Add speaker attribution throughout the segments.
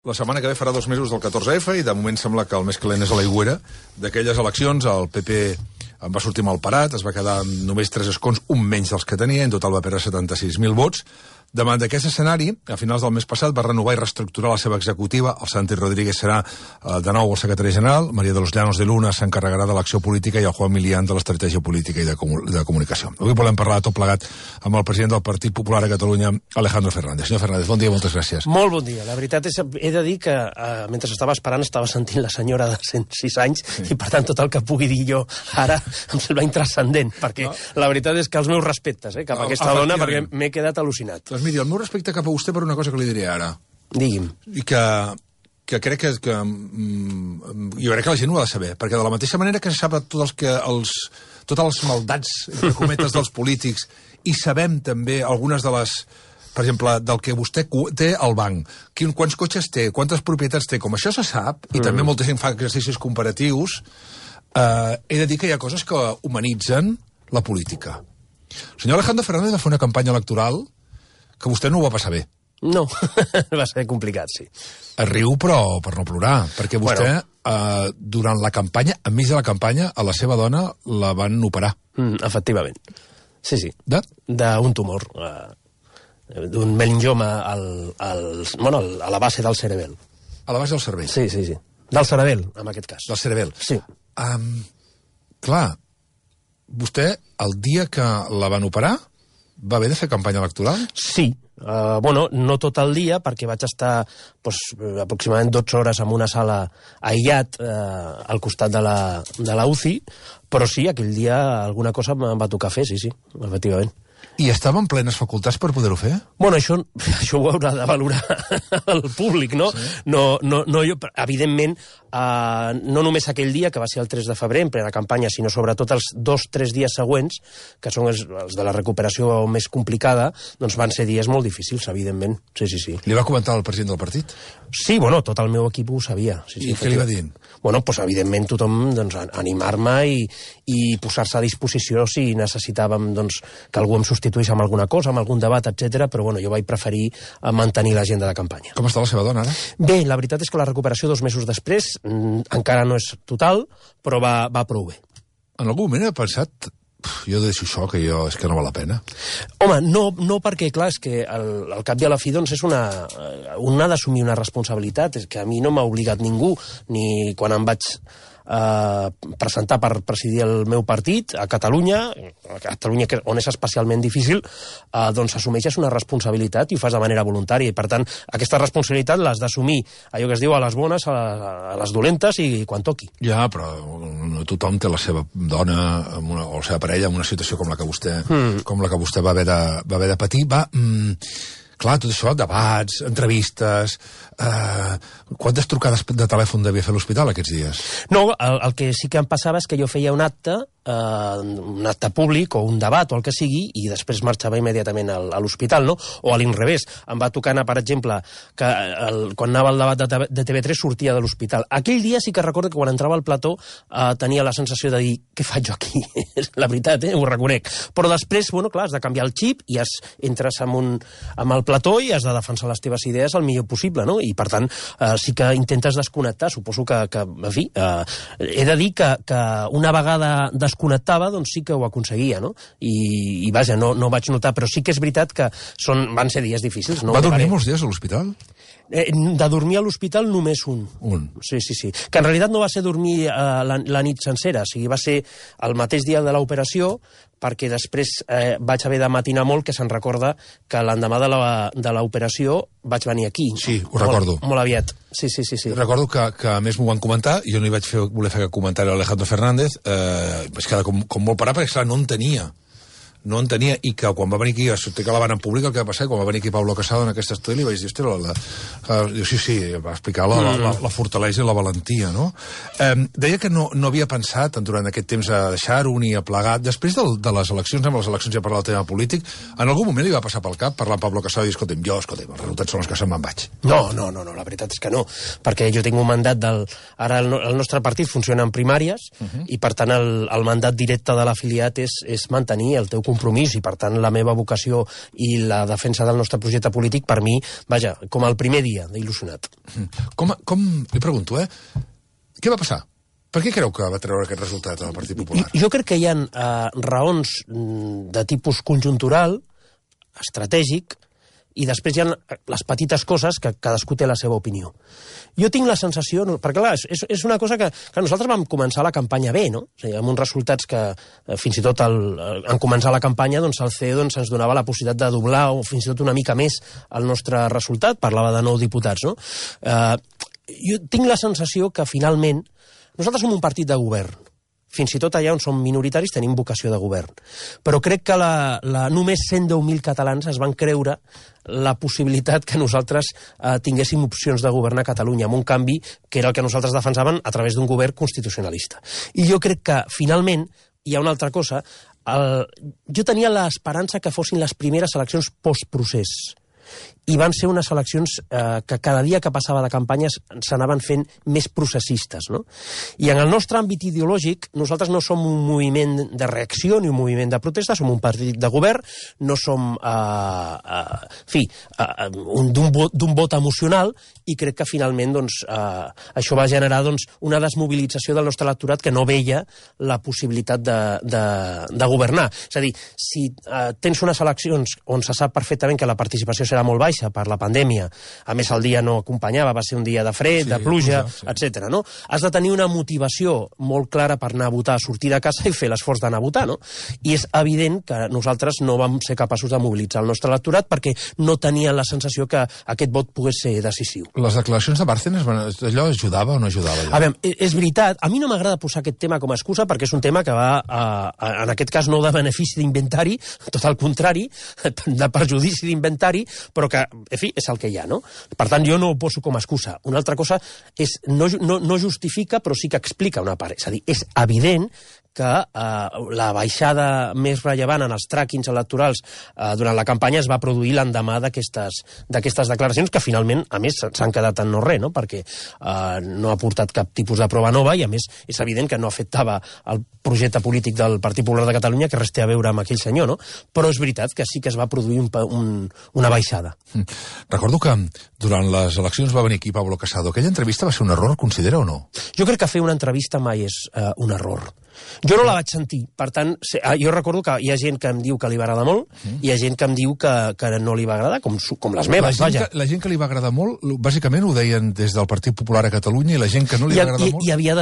Speaker 1: La setmana que ve farà 2 mesos del 14F i de moment sembla que el més calent és a l'aigüera. D'aquelles eleccions el PP en va sortir mal parat, es va quedar amb només 3 escons, un menys dels que tenia, en total va perdre 76.000 vots. Davant d'aquest escenari, a finals del mes passat va renovar i reestructurar la seva executiva. El Santi Rodríguez serà de nou el secretari general, María de los Llanos de Luna s'encarregarà de l'acció política i el Juan Milián de l'estratègia política i de comunicació. Avui volem parlar tot plegat amb el president del Partit Popular a Catalunya, Alejandro Fernández. Senyor Fernández, bon dia, moltes gràcies.
Speaker 2: Molt bon dia. La veritat és, he de dir que mentre estava esperant estava sentint la senyora de 106 anys i per tant tot el que pugui dir jo ara em sembla intranscendent, perquè la veritat és que els meus respectes cap a aquesta dona, perquè m'he quedat al·lucinat.
Speaker 1: Doncs miri, el meu respecte cap a vostè per una cosa que li diré ara.
Speaker 2: Digui'm.
Speaker 1: I que crec que jo crec que la gent ho ha de saber, perquè de la mateixa manera que se sap totes les maldats, entre cometes, dels polítics, i sabem també algunes de les, per exemple, del que vostè té al banc, quants cotxes té, quantes propietats té, com això se sap, i també molta gent fa exercicis comparatius, he de dir que hi ha coses que humanitzen la política. El senyor Alejandro Fernández va fer una campanya electoral que vostè no ho va passar bé.
Speaker 2: No, va ser complicat, sí.
Speaker 1: Es riu, però per no plorar, perquè vostè, durant la campanya, enmig de la campanya, a la seva dona la van operar.
Speaker 2: Efectivament. Sí, sí.
Speaker 1: D'un
Speaker 2: tumor, d'un meningioma a la base del cerebel.
Speaker 1: A la base del cervell?
Speaker 2: Sí, sí, sí. Del cerebel, en aquest cas.
Speaker 1: Del cerebel?
Speaker 2: Sí.
Speaker 1: Clar, vostè, el dia que la van operar, va haver de fer campanya electoral?
Speaker 2: Sí. No tot el dia, perquè vaig estar aproximadament 12 hores en una sala aïllat al costat de la UCI, però sí, aquell dia alguna cosa em va tocar fer, sí, efectivament.
Speaker 1: I estava en plenes facultats per poder-ho fer?
Speaker 2: Bueno, això ho haurà de valorar el públic, no? Sí. No, jo, evidentment, no només aquell dia, que va ser el 3 de febrer, en plena campanya, sinó sobretot els 2-3 dies següents, que són els de la recuperació més complicada, doncs van ser dies molt difícils, evidentment. Sí.
Speaker 1: Li va comentar el president del partit?
Speaker 2: Sí, tot el meu equip ho sabia.
Speaker 1: I què li va dir?
Speaker 2: Evidentment, tothom animar-me i posar-se a disposició si necessitàvem que algú em substituís amb alguna cosa, amb algun debat, etc. Però jo vaig preferir mantenir l'agenda de campanya.
Speaker 1: Com està la seva dona, ara?
Speaker 2: Bé, la veritat és que la recuperació 2 mesos després encara no és total, però va prou bé.
Speaker 1: En algun moment he pensat, jo deixo això, que és que no val la pena.
Speaker 2: Home, no perquè, clar, és que al cap i a la fi, és un ha d'assumir una responsabilitat, és que a mi no m'ha obligat ningú, ni quan em vaig presentar per presidir el meu partit a Catalunya, on és especialment difícil, assumeixes una responsabilitat i ho fas de manera voluntària, i per tant aquesta responsabilitat l'has d'assumir, allò que es diu a les bones, a les dolentes i quan toqui.
Speaker 1: Ja, però no tothom té la seva dona o la seva parella en una situació com la que vostè va haver de patir. Clar, tot això, debats, entrevistes... Quantes trucades de telèfon devia fer a l'hospital aquests dies?
Speaker 2: No, el que sí que em passava és que jo feia un acte públic o un debat o el que sigui, i després marxava immediatament a l'hospital, no? O a l'inrevés. Em va tocar anar, per exemple, que quan anava al debat de TV3 sortia de l'hospital. Aquell dia sí que recordo que quan entrava al plató tenia la sensació de dir, què faig jo aquí? La veritat, ho reconec. Però després, clar, has de canviar el xip i entres amb el plató i has de defensar les teves idees el millor possible, no? I per tant, sí que intentes desconnectar. Suposo que en fi, he de dir que una vegada desconnectava, doncs sí que ho aconseguia, no? I vaja, no vaig notar, però sí que és veritat que van ser dies difícils.
Speaker 1: Va dormir molts dies a l'hospital?
Speaker 2: De dormir a l'hospital només un. Sí. Que en realitat no va ser dormir la nit sencera, o sigui, va ser el mateix dia de l'operació, perquè després vaig haver de matinar molt, que se'n recorda que l'endemà de l'operació vaig venir aquí.
Speaker 1: Sí, ho recordo.
Speaker 2: Molt aviat. Sí.
Speaker 1: Recordo que a més m'ho van comentar, jo no hi vaig voler fer comentari a Alejandro Fernández, vaig quedar com molt parat, perquè clar, no en tenia, i que quan va venir aquí a sortir que la van en públic, el que va passar, quan va venir aquí Pablo Casado en aquest estudi, li vaig dir, sí, va explicar la fortalesa i la valentia, no? Deia que no havia pensat durant aquest temps a deixar-ho ni a plegar. Després de les eleccions, amb les eleccions ja parlar del tema polític, en algun moment li va passar pel cap parlar amb Pablo Casado i dir, escolta'm, els resultats són els que se'n me'n vaig.
Speaker 2: No, la veritat és que no, perquè jo tinc un mandat ara el nostre partit funciona en primàries, i per tant el mandat directe de l'afiliat és mantenir el teu compromís compromís i, per tant, la meva vocació i la defensa del nostre projecte polític, per mi, vaja, com el primer dia d'il·lusionat.
Speaker 1: Li pregunto, què va passar? Per què creu que va treure aquest resultat al Partit Popular?
Speaker 2: Jo crec que hi ha raons de tipus conjuntural, estratègic, i després hi ha les petites coses que cadascú té la seva opinió. Jo tinc la sensació, perquè clar, és una cosa que nosaltres vam començar la campanya bé, no? O sigui, amb uns resultats que fins i tot en començar la campanya doncs el CE ens donava la possibilitat de doblar o fins i tot una mica més el nostre resultat, parlava de 9 diputats, no? Jo tinc la sensació que finalment nosaltres som un partit de govern. Fins i tot allà on som minoritaris tenim vocació de govern. Però crec que només 110.000 catalans es van creure la possibilitat que nosaltres tinguéssim opcions de governar Catalunya, amb un canvi que era el que nosaltres defensàvem a través d'un govern constitucionalista. I jo crec que, finalment, hi ha una altra cosa. Jo tenia l'esperança que fossin les primeres eleccions postprocés. I van ser unes eleccions que cada dia que passava de campanyes s'anaven fent més processistes, no? I en el nostre àmbit ideològic, nosaltres no som un moviment de reacció ni un moviment de protesta, som un partit de govern, no som, d'un vot emocional, i crec que finalment això va generar una desmobilització del nostre electorat que no veia la possibilitat de governar. És a dir, si tens unes eleccions on se sap perfectament que la participació serà molt baixa per la pandèmia, a més el dia no acompanyava, va ser un dia de fred, de pluja, etc. No? Has de tenir una motivació molt clara per anar a votar, sortir de casa i fer l'esforç d'anar a votar, no? I és evident que nosaltres no vam ser capaços de mobilitzar el nostre electorat perquè no tenien la sensació que aquest vot pogués ser decisiu.
Speaker 1: Les declaracions de Bárcenas, allò ajudava o no ajudava?
Speaker 2: A veure, és veritat, a mi no m'agrada posar aquest tema com a excusa perquè és un tema que va, en aquest cas, no de benefici d'inventari, tot al contrari, de perjudici d'inventari, però que, en fi, és el que hi ha, no? Per tant, jo no ho poso com a excusa. Una altra cosa és, no justifica, però sí que explica una part. És a dir, és evident que la baixada més rellevant en els tràquings electorals durant la campanya es va produir l'endemà d'aquestes declaracions que finalment, a més, s'han quedat en no res, no? Perquè no ha portat cap tipus de prova nova i, a més, és evident que no afectava el projecte polític del Partit Popular de Catalunya, que res té a veure amb aquell senyor, no? Però és veritat que sí que es va produir una baixada.
Speaker 1: Recordo que durant les eleccions va venir aquí Pablo Casado. Aquella entrevista va ser un error, considera o no?
Speaker 2: Jo crec que fer una entrevista mai és un error. Jo no la vaig sentir, per tant, jo recordo que hi ha gent que em diu que li va agradar molt i hi ha gent que em diu que no li va agradar, com les meves, vaja.
Speaker 1: La gent que li va agradar molt, bàsicament ho deien des del Partit Popular a Catalunya, i la gent que no li va agradar molt...
Speaker 2: Hi havia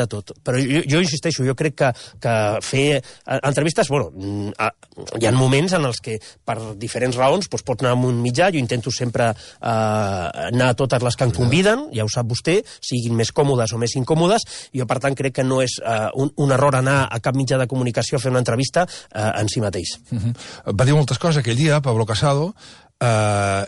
Speaker 2: de tot, però jo insisteixo, jo crec que fer entrevistes, bueno, hi ha moments en els que per diferents raons pots anar a un mitjà, jo intento sempre anar a totes les que em conviden, ja ho sap vostè, siguin més còmodes o més incòmodes, jo per tant crec que no és un error anar a cap mitjà de comunicació a fer una entrevista en si mateix.
Speaker 1: Va dir moltes coses aquell dia, Pablo Casado,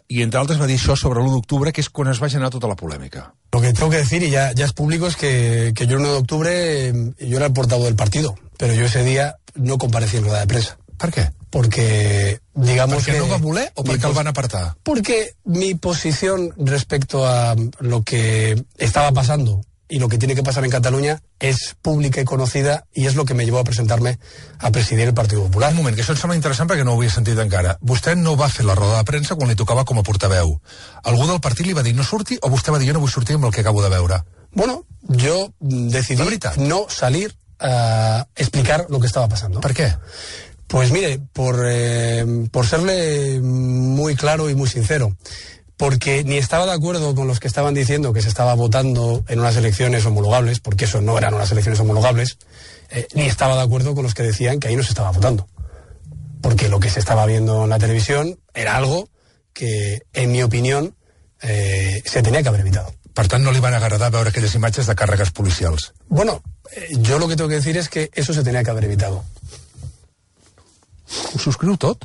Speaker 1: y entre altres va dir això sobre l'1 d'octubre, que és quan es va generar tota la polèmica.
Speaker 3: Lo que tengo que decir, y ya es público, es que yo el 1 de octubre yo era el portavoz del partido, pero yo ese día no comparecí en rueda de prensa.
Speaker 1: Per què?
Speaker 3: Porque, digamos
Speaker 1: ¿Porque
Speaker 3: que...
Speaker 1: no va voler o porque el van apartar?
Speaker 3: Porque mi posición respecto a lo que estaba pasando y lo que tiene que pasar en Cataluña es pública y conocida, y es lo que me llevó a presentarme a presidir el Partit Popular.
Speaker 1: Un moment, que això em sembla interessant perquè no ho havia sentit encara. Vostè no va fer la roda de premsa quan li tocava com a portaveu. Algú del partit li va dir no surti, o vostè va dir jo no vull sortir amb el que acabo de veure?
Speaker 3: Bueno, yo decidí no salir a explicar lo que estaba pasando.
Speaker 1: ¿Por qué?
Speaker 3: Pues mire, por serle muy claro y muy sincero. Porque ni estaba de acuerdo con los que estaban diciendo que se estaba votando en unas elecciones homologables, porque eso no eran unas elecciones homologables, ni estaba de acuerdo con los que decían que ahí no se estaba votando. Porque lo que se estaba viendo en la televisión era algo que, en mi opinión, se tenía que haber evitado.
Speaker 1: Per tant, no li van agradar veure aquelles imatges de càrregues policials.
Speaker 3: Bueno, yo lo que tengo que decir es que eso se tenía que haber evitado.
Speaker 1: Ho subscriu tot?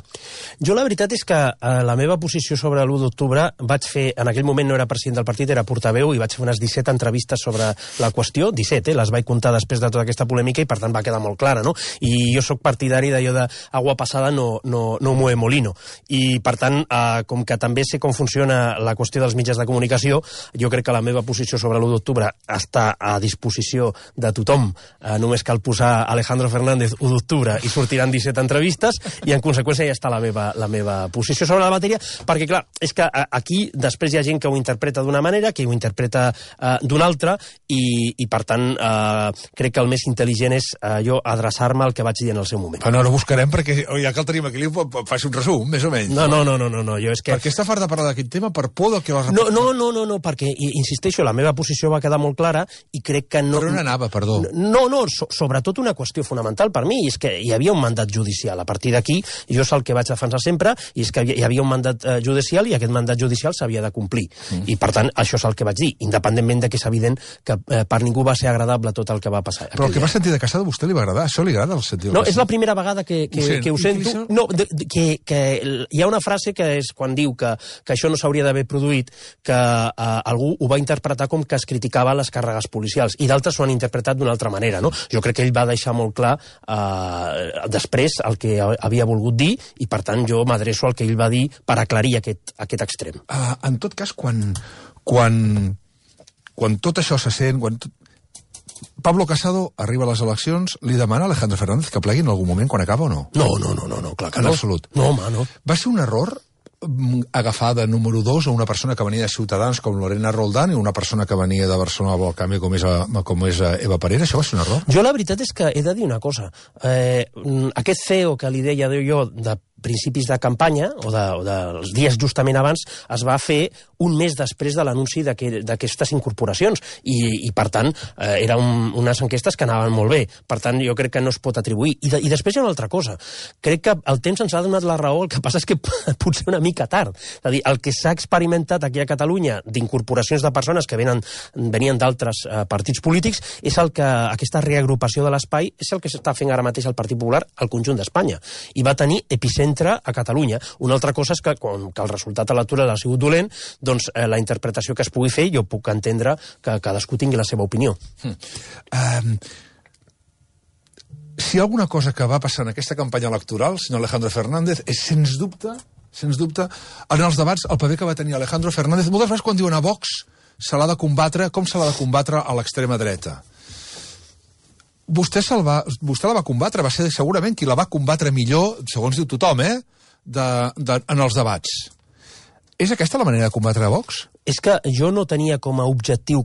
Speaker 2: Jo la veritat és que la meva posició sobre l'1 d'octubre vaig fer, en aquell moment no era president del partit, era portaveu, i vaig fer unes 17 entrevistes sobre la qüestió, 17, les vaig comptar després de tota aquesta polèmica i per tant va quedar molt clara, no? I jo sóc partidari d'allò de agua passada no mueve molino. I per tant, com que també sé com funciona la qüestió dels mitjans de comunicació, jo crec que la meva posició sobre l'1 d'octubre està a disposició de tothom. Només cal posar Alejandro Fernández 1 d'octubre i sortiran 17 entrevistes, i en conseqüència ja està la meva posició sobre la matèria, perquè clar, és que aquí després hi ha gent que ho interpreta d'una manera, que ho interpreta d'una altra, i per tant crec que el més intel·ligent és jo adreçar-me al que vaig dir en el seu moment.
Speaker 1: Però no ho buscarem perquè ja que el tenim aquí faci un resum, més o menys.
Speaker 2: No, jo és que...
Speaker 1: Perquè està fart de parlar d'aquest tema per por del que va repetir.
Speaker 2: No, perquè, insisteixo, la meva posició va quedar molt clara i crec que no...
Speaker 1: Per on anava, perdó?
Speaker 2: No, sobretot una qüestió fonamental per mi, i és que hi havia un mandat judicial. A partir d'aquí, jo és el que vaig defensar sempre, i és que hi havia un mandat judicial i aquest mandat judicial s'havia de complir. I per tant, això és el que vaig dir, independentment de que és evident que per ningú va ser agradable tot el que va passar.
Speaker 1: Però el que va sentir de Casado a vostè li va agradar? Això li agrada el sentir?
Speaker 2: No, és la primera vegada que ho sento. No, que hi ha una frase que és quan diu que això no s'hauria d'haver produït, que algú ho va interpretar com que es criticava les càrregues policials, i d'altres ho han interpretat d'una altra manera, no? Jo crec que ell va deixar molt clar després el que havia volgut dir, i per tant jo m'adreço al que ell va dir per aclarir aquest extrem.
Speaker 1: En tot cas, quan tot això se sent, Pablo Casado arriba a les eleccions, li demana a Alejandro Fernández que plegui en algun moment quan acaba o no?
Speaker 2: No, clar que
Speaker 1: no.
Speaker 2: En
Speaker 1: absolut.
Speaker 2: No, home, no.
Speaker 1: Va ser un error agafar de número 2 a una persona que venia de Ciutadans com Lorena Roldán i una persona que venia de Barcelona del Canvi com és Eva Parera? Això va ser un error?
Speaker 2: Jo la veritat és que he de dir una cosa. Aquest CEO que li deia jo de principis de campanya, o dels dies justament abans, es va fer un mes després de l'anunci d'aquestes incorporacions, i per tant eren unes enquestes que anaven molt bé. Per tant, jo crec que no es pot atribuir. I després hi ha una altra cosa. Crec que el temps ens ha donat la raó, el que passa és que potser una mica tard. És a dir, el que s'ha experimentat aquí a Catalunya d'incorporacions de persones que venien d'altres partits polítics és el que aquesta reagrupació de l'espai és el que s'està fent ara mateix el Partit Popular al conjunt d'Espanya. I va tenir epicentre a Catalunya. Una altra cosa és que, com que el resultat electoral ha sigut dolent, doncs la interpretació que es pugui fer, jo puc entendre que cadascú tingui la seva opinió.
Speaker 1: Si hi ha alguna cosa que va passar en aquesta campanya electoral, senyor Alejandro Fernández, és sens dubte, en els debats, el paper que va tenir Alejandro Fernández. Moltes vegades quan diuen a Vox se l'ha de combatre, com se l'ha de combatre a l'extrema dreta? Vostè la va combatre, va ser segurament qui la va combatre millor, segons diu tothom, en els debats. És aquesta la manera de combatre a Vox?
Speaker 2: És que jo no tenia com a objectiu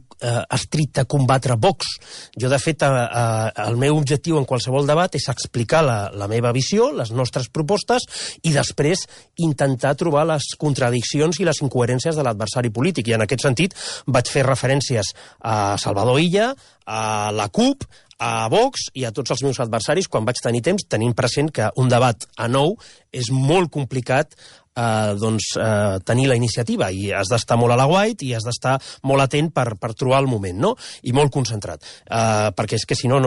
Speaker 2: estricte combatre Vox. Jo, de fet, el meu objectiu en qualsevol debat és explicar la meva visió, les nostres propostes, i després intentar trobar les contradiccions i les incoherències de l'adversari polític. I en aquest sentit vaig fer referències a Salvador Illa, a la CUP, a Vox i a tots els meus adversaris quan vaig tenir temps, tenint present que un debat a 9 és molt complicat tenir la iniciativa, i has d'estar molt a l'aguait i has d'estar molt atent per trobar el moment, no? I molt concentrat, perquè és que si no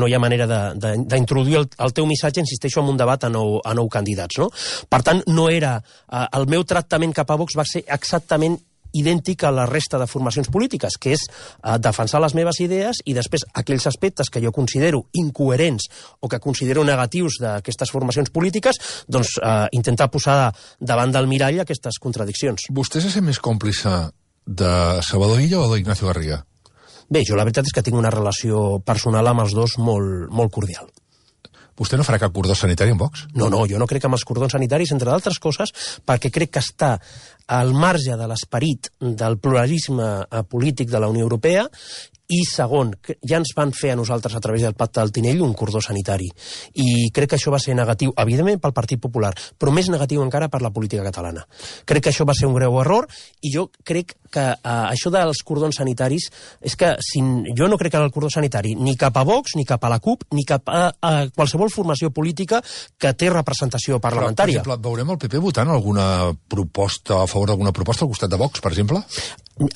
Speaker 2: hi ha manera d'introduir el teu missatge, insisteixo, en un debat a 9 candidats, no? Per tant, no era... el meu tractament cap a Vox va ser exactament idèntic a la resta de formacions polítiques, que és defensar les meves idees i després aquells aspectes que jo considero incoherents o que considero negatius d'aquestes formacions polítiques, doncs intentar posar davant del mirall aquestes contradiccions.
Speaker 1: Vostè se sent més còmplice de Salvador Illa o d'Ignacio Garriga?
Speaker 2: Bé, jo la veritat és que tinc una relació personal amb els dos molt cordial.
Speaker 1: Vostè no farà cap cordó sanitari amb Vox?
Speaker 2: No, jo no crec en els cordons sanitaris, entre d'altres coses, perquè crec que està al marge de l'esperit del pluralisme polític de la Unió Europea, i segon, ja ens van fer a nosaltres a través del Pacte del Tinell un cordó sanitari, i crec que això va ser negatiu, evidentment pel Partit Popular, però més negatiu encara per la política catalana. Crec que això va ser un greu error, i jo crec que això dels cordons sanitaris és que jo no crec en el cordó sanitari ni cap a Vox, ni cap a la CUP, ni cap a qualsevol formació política que té representació parlamentària.
Speaker 1: Però, per exemple, veurem el PP votant alguna proposta a favor d'alguna proposta al costat de Vox, per exemple?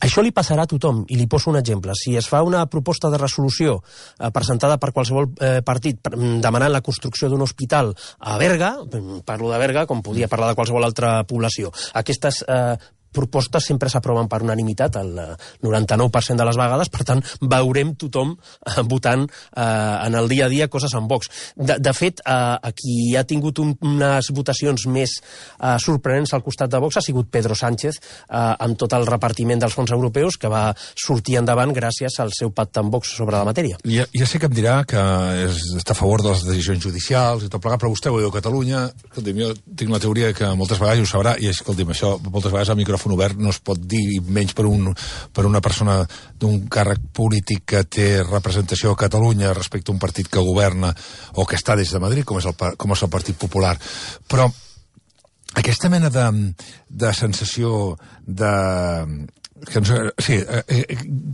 Speaker 2: Això li passarà a tothom, i li poso un exemple. Si es fa una proposta de resolució presentada per qualsevol partit demanant la construcció d'un hospital a Berga, parlo de Berga com podia parlar de qualsevol altra població, aquestes propostes sempre s'aproven per unanimitat el 99% de les vegades, per tant veurem tothom votant en el dia a dia coses en Vox. De fet, qui ha tingut unes votacions més sorprenents al costat de Vox ha sigut Pedro Sánchez, amb tot el repartiment dels fons europeus, que va sortir endavant gràcies al seu pacte amb Vox sobre la matèria.
Speaker 1: Ja sé que em dirà que està a favor de les decisions judicials i tot plegat, però vostè ho veu a Catalunya. Escolti'm, jo tinc la teoria que moltes vegades, ho sabrà, i escolti'm, això moltes vegades al micròfon obert no es pot dir, menys per una persona d'un càrrec polític que té representació a Catalunya respecte a un partit que governa o que està des de Madrid, com és el Partit Popular. Però aquesta mena de sensació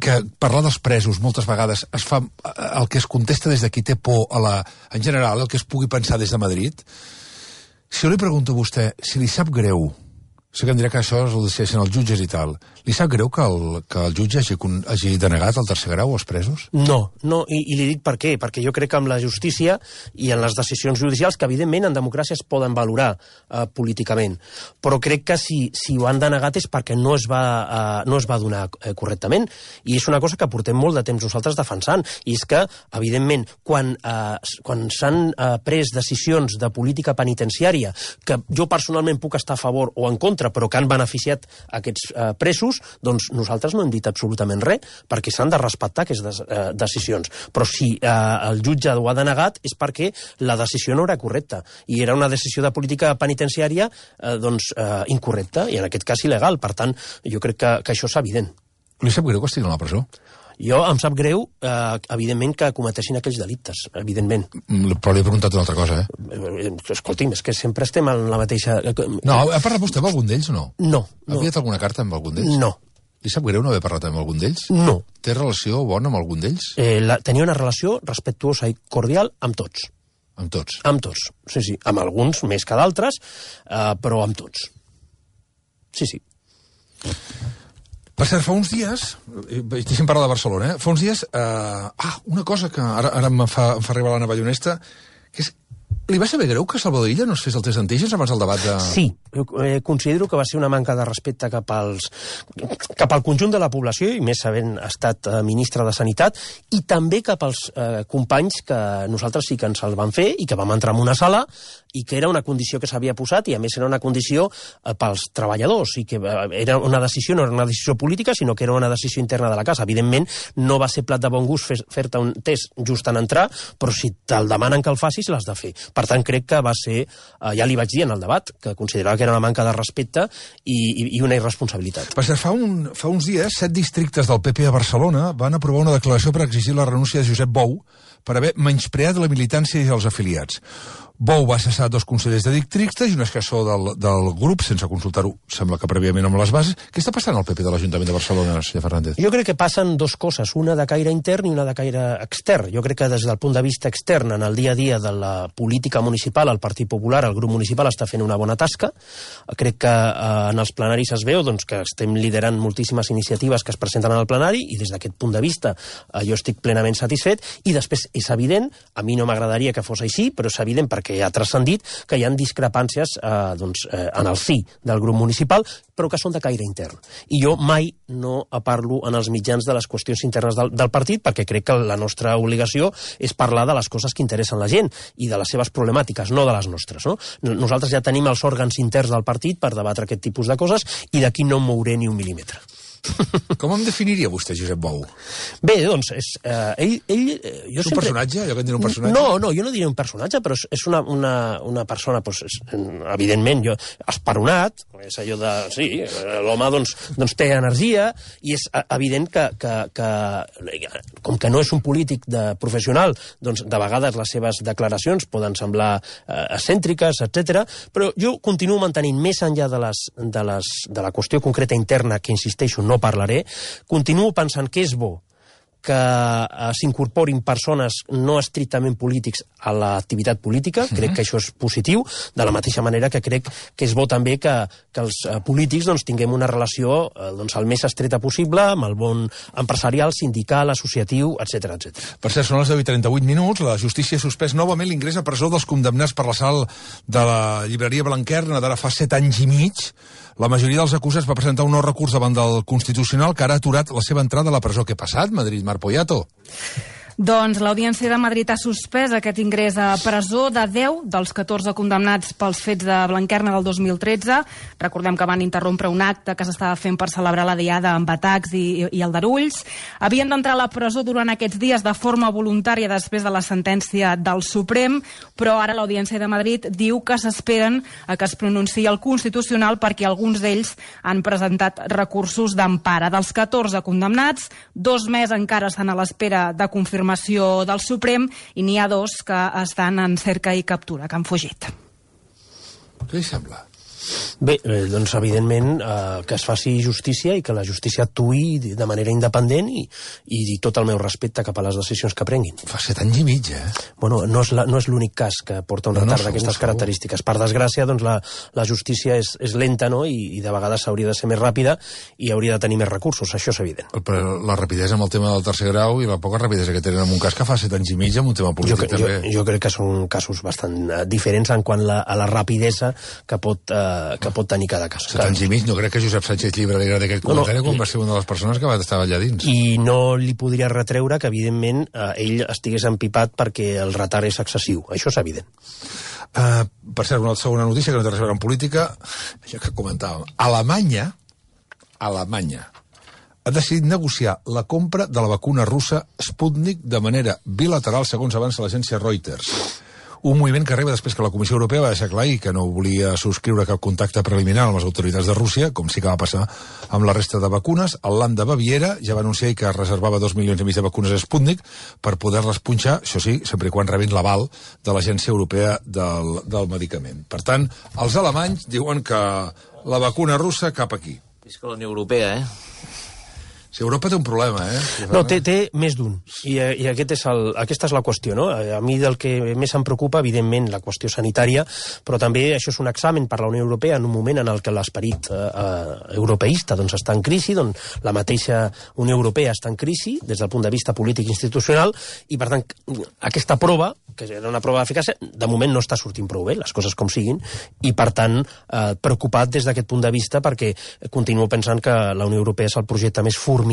Speaker 1: que parlar dels presos moltes vegades es fa el que es contesta des de qui té por en general, el que es pugui pensar des de Madrid. Si jo li pregunto a vostè si li sap greu, sé que em dirà que això ho decideixen els jutges i tal, li sap greu que el jutge hagi denegat el tercer grau als presos?
Speaker 2: No, i li dic per què. Perquè jo crec que amb la justícia i en les decisions judicials, que evidentment en democràcia es poden valorar políticament, però crec que si ho han denegat és perquè no es va donar correctament, i és una cosa que portem molt de temps nosaltres defensant, i és que, evidentment, quan s'han pres decisions de política penitenciària que jo personalment puc estar a favor o en contra, però que han beneficiat aquests presos, doncs nosaltres no hem dit absolutament res, perquè s'han de respectar aquestes decisions. Però si el jutge ho ha denegat és perquè la decisió no era correcta, i era una decisió de política penitenciària incorrecta, i en aquest cas il·legal. Per tant, jo crec que això és evident.
Speaker 1: Li sap greu que estigui a la presó?
Speaker 2: Jo em sap greu, evidentment, que cometessin aquells delictes, evidentment.
Speaker 1: Però li he preguntat una altra cosa,
Speaker 2: Escolti'm, és que sempre estem en la mateixa...
Speaker 1: No, ha parlat vostè amb algun d'ells o no?
Speaker 2: No.
Speaker 1: Ha enviat alguna carta amb algun d'ells?
Speaker 2: No.
Speaker 1: Li sap greu no haver parlat amb algun d'ells?
Speaker 2: No.
Speaker 1: Té relació bona amb algun d'ells?
Speaker 2: Tenia una relació respectuosa i cordial amb tots.
Speaker 1: Amb tots?
Speaker 2: Amb tots, sí. Amb alguns més que d'altres, però amb tots. Sí.
Speaker 1: Per cert, fa uns dies, deixem parlar de Barcelona, fa uns dies, una cosa que ara em fa arribar la navallonesta, que és, li va saber greu que Salvador Illa no es fes el test d'antígens abans del debat de...
Speaker 2: Sí, considero que va ser una manca de respecte cap al conjunt de la població, i més havent estat ministre de Sanitat, i també cap als companys que nosaltres sí que ens el vam fer i que vam entrar en una sala i que era una condició que s'havia posat, i a més era una condició pels treballadors, i que era una decisió, no era una decisió política, sinó que era una decisió interna de la casa. Evidentment, no va ser plat de bon gust fer-te un test just en entrar, però si te'l demanen que el facis, l'has de fer. Per tant, crec que va ser, ja li vaig dir en el debat, que considerava que era una manca de respecte i una irresponsabilitat.
Speaker 1: Per cert, fa uns dies, 7 districtes del PP a Barcelona van aprovar una declaració per exigir la renúncia de Josep Bou per haver menyspreat la militància i els afiliats. Bou va cessar 2 consellers de districtes i un assessor del grup, sense consultar-ho, sembla que prèviament amb les bases. Què està passant al PP de l'Ajuntament de Barcelona, senyor Fernández?
Speaker 2: Jo crec que passen 2 coses, una de caire intern i una de caire extern. Jo crec que des del punt de vista extern, en el dia a dia de la política municipal, el Partit Popular, el grup municipal, està fent una bona tasca. Crec que en els plenaris es veu que estem liderant moltíssimes iniciatives que es presenten al plenari, i des d'aquest punt de vista jo estic plenament satisfet. I després és evident, a mi no m'agradaria que fos així, però és evident perquè ha transcendit que hi ha discrepàncies en el si del grup municipal, però que són de caire intern. I jo mai no parlo en els mitjans de les qüestions internes del partit, perquè crec que la nostra obligació és parlar de les coses que interessen la gent i de les seves problemàtiques, no de les nostres. No? Nosaltres ja tenim els òrgans interns del partit per debatre aquest tipus de coses, i d'aquí no em mouré ni un mil·límetre.
Speaker 1: Com em definiria vostè, Josep Bou?
Speaker 2: Bé, doncs, ell...
Speaker 1: És un personatge? Jo que en diré un personatge?
Speaker 2: No, jo no diré un personatge, però és una persona, evidentment, esperonat, és allò de... Sí, l'home, doncs, té energia, i és evident que com que no és un polític professional, doncs, de vegades les seves declaracions poden semblar excèntriques, etc. Però jo continuo mantenint, més enllà de la qüestió concreta interna, que insisteixo, no parlaré, continuo pensant que és bo que s'incorporin persones no estrictament polítics a l'activitat política. Crec que això és positiu, de la mateixa manera que crec que és bo també que els polítics tinguem una relació el més estreta possible amb el món empresarial, sindical, associatiu, etc.
Speaker 1: Per cert, són les 10:38. La justícia ha suspès novament l'ingrés a presó dels condemnats per l'assalt de la llibreria Blanquerna d'ara fa 7 anys i mig. La majoria dels acusats va presentar un nou recurs davant del Constitucional que ara ha aturat la seva entrada a la presó. Què ha passat, Madrid, Marc Poyato?
Speaker 4: Doncs l'Audiència de Madrid ha suspès aquest ingrés a presó de 10 dels 14 condemnats pels fets de Blanquerna del 2013. Recordem que van interrompre un acte que s'estava fent per celebrar la diada amb atacs i aldarulls. Havien d'entrar a la presó durant aquests dies de forma voluntària després de la sentència del Suprem, però ara l'Audiència de Madrid diu que s'esperen a que es pronunciï el Constitucional perquè alguns d'ells han presentat recursos d'empara. Dels 14 condemnats, 2 més encara estan a l'espera de confirmació del Suprem i n'hi ha 2 que estan en cerca i captura, que han fugit.
Speaker 1: Què li sembla?
Speaker 2: Bé, doncs evidentment que es faci justícia i que la justícia actuï de manera independent i tot el meu respecte cap a les decisions que prenguin.
Speaker 1: Fa 7 anys i mig,
Speaker 2: Bueno, no és l'únic cas que porta un retard d'aquestes característiques. Per desgràcia, doncs la justícia és lenta, no?, i de vegades hauria de ser més ràpida i hauria de tenir més recursos, això és evident.
Speaker 1: Però la rapidesa amb el tema del tercer grau i la poca rapidesa que tenen en un cas que fa 7 anys i mig amb un tema polític també.
Speaker 2: Jo crec que són casos bastant diferents en quant a la rapidesa que pot tenir cada cas.
Speaker 1: 7 anys i mig, no crec que Josep Sánchez Llibre li agradi aquest comentari quan va ser una de les persones que va estar allà dins.
Speaker 2: I no li podria retreure que, evidentment, ell estigués empipat perquè el retard és excessiu. Això és evident.
Speaker 1: Per cert, una segona notícia que no té res a veure amb política, això que comentàvem. Alemanya ha decidit negociar la compra de la vacuna russa Sputnik de manera bilateral, segons avança l'agència Reuters. Un moviment que arriba després que la Comissió Europea va deixar clar que no volia subscriure cap contacte preliminar amb les autoritats de Rússia, com sí que va passar amb la resta de vacunes. El Land de Baviera ja va anunciar que reservava 2,5 milions de vacunes a Sputnik per poder-les punxar, això sí, sempre i quan rebin l'aval de l'Agència Europea del Medicament. Per tant, els alemanys diuen que la vacuna russa cap aquí.
Speaker 5: És que la Unió Europea,
Speaker 1: Si Europa té un problema,
Speaker 2: No, té més d'un. I aquesta és la qüestió, no? A mi del que més em preocupa, evidentment, la qüestió sanitària, però també això és un examen per la Unió Europea en un moment en el que l'esperit europeista està en crisi, la mateixa Unió Europea està en crisi des del punt de vista polític i institucional, i per tant aquesta prova, que era una prova d'eficàcia, de moment no està sortint prou bé, les coses com siguin, i per tant preocupat des d'aquest punt de vista perquè continuo pensant que la Unió Europea és el projecte més formidable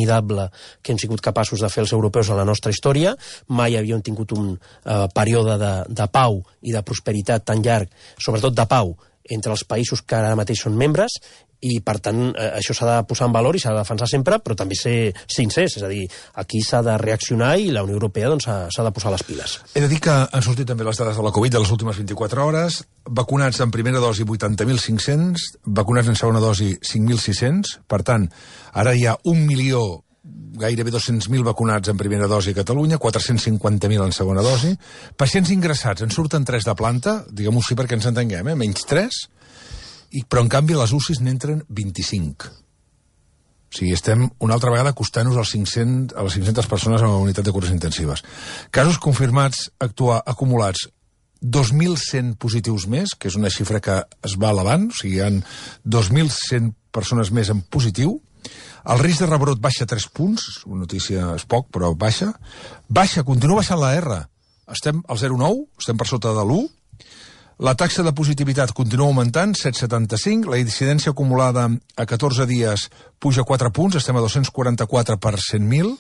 Speaker 2: que hem sigut capaços de fer els europeus en la nostra història. Mai havíem tingut un període de pau i de prosperitat tan llarg, sobretot de pau, entre els països que ara mateix són membres, i per tant això s'ha de posar en valor i s'ha de defensar sempre, però també ser sincers, és a dir, aquí s'ha de reaccionar i la Unió Europea s'ha de posar les piles.
Speaker 1: He de dir que han sortit també les dades de la Covid de les últimes 24 hores, vacunats en primera dosi 80.500, vacunats en segona dosi 5.600, per tant, ara hi ha 1 milió, gairebé 200.000 vacunats en primera dosi a Catalunya, 450.000 en segona dosi, pacients ingressats, en surten 3 de planta, diguem-ho així perquè ens entenguem, menys 3, però en canvi a les UCIs n'entren 25. O sigui, estem una altra vegada acostant-nos a les 500 persones a la unitat de cures intensives. Casos confirmats acumulats 2.100 positius més, que és una xifra que es va elevant, o sigui, hi ha 2.100 persones més en positiu. El risc de rebrot baixa 3 punts, una notícia és poc, però baixa, continua baixant la R. Estem al 0,9, estem per sota de l'1. La taxa de positivitat continua augmentant, 7,75. La incidència acumulada a 14 dies puja 4 punts, estem a 244 per 100.000.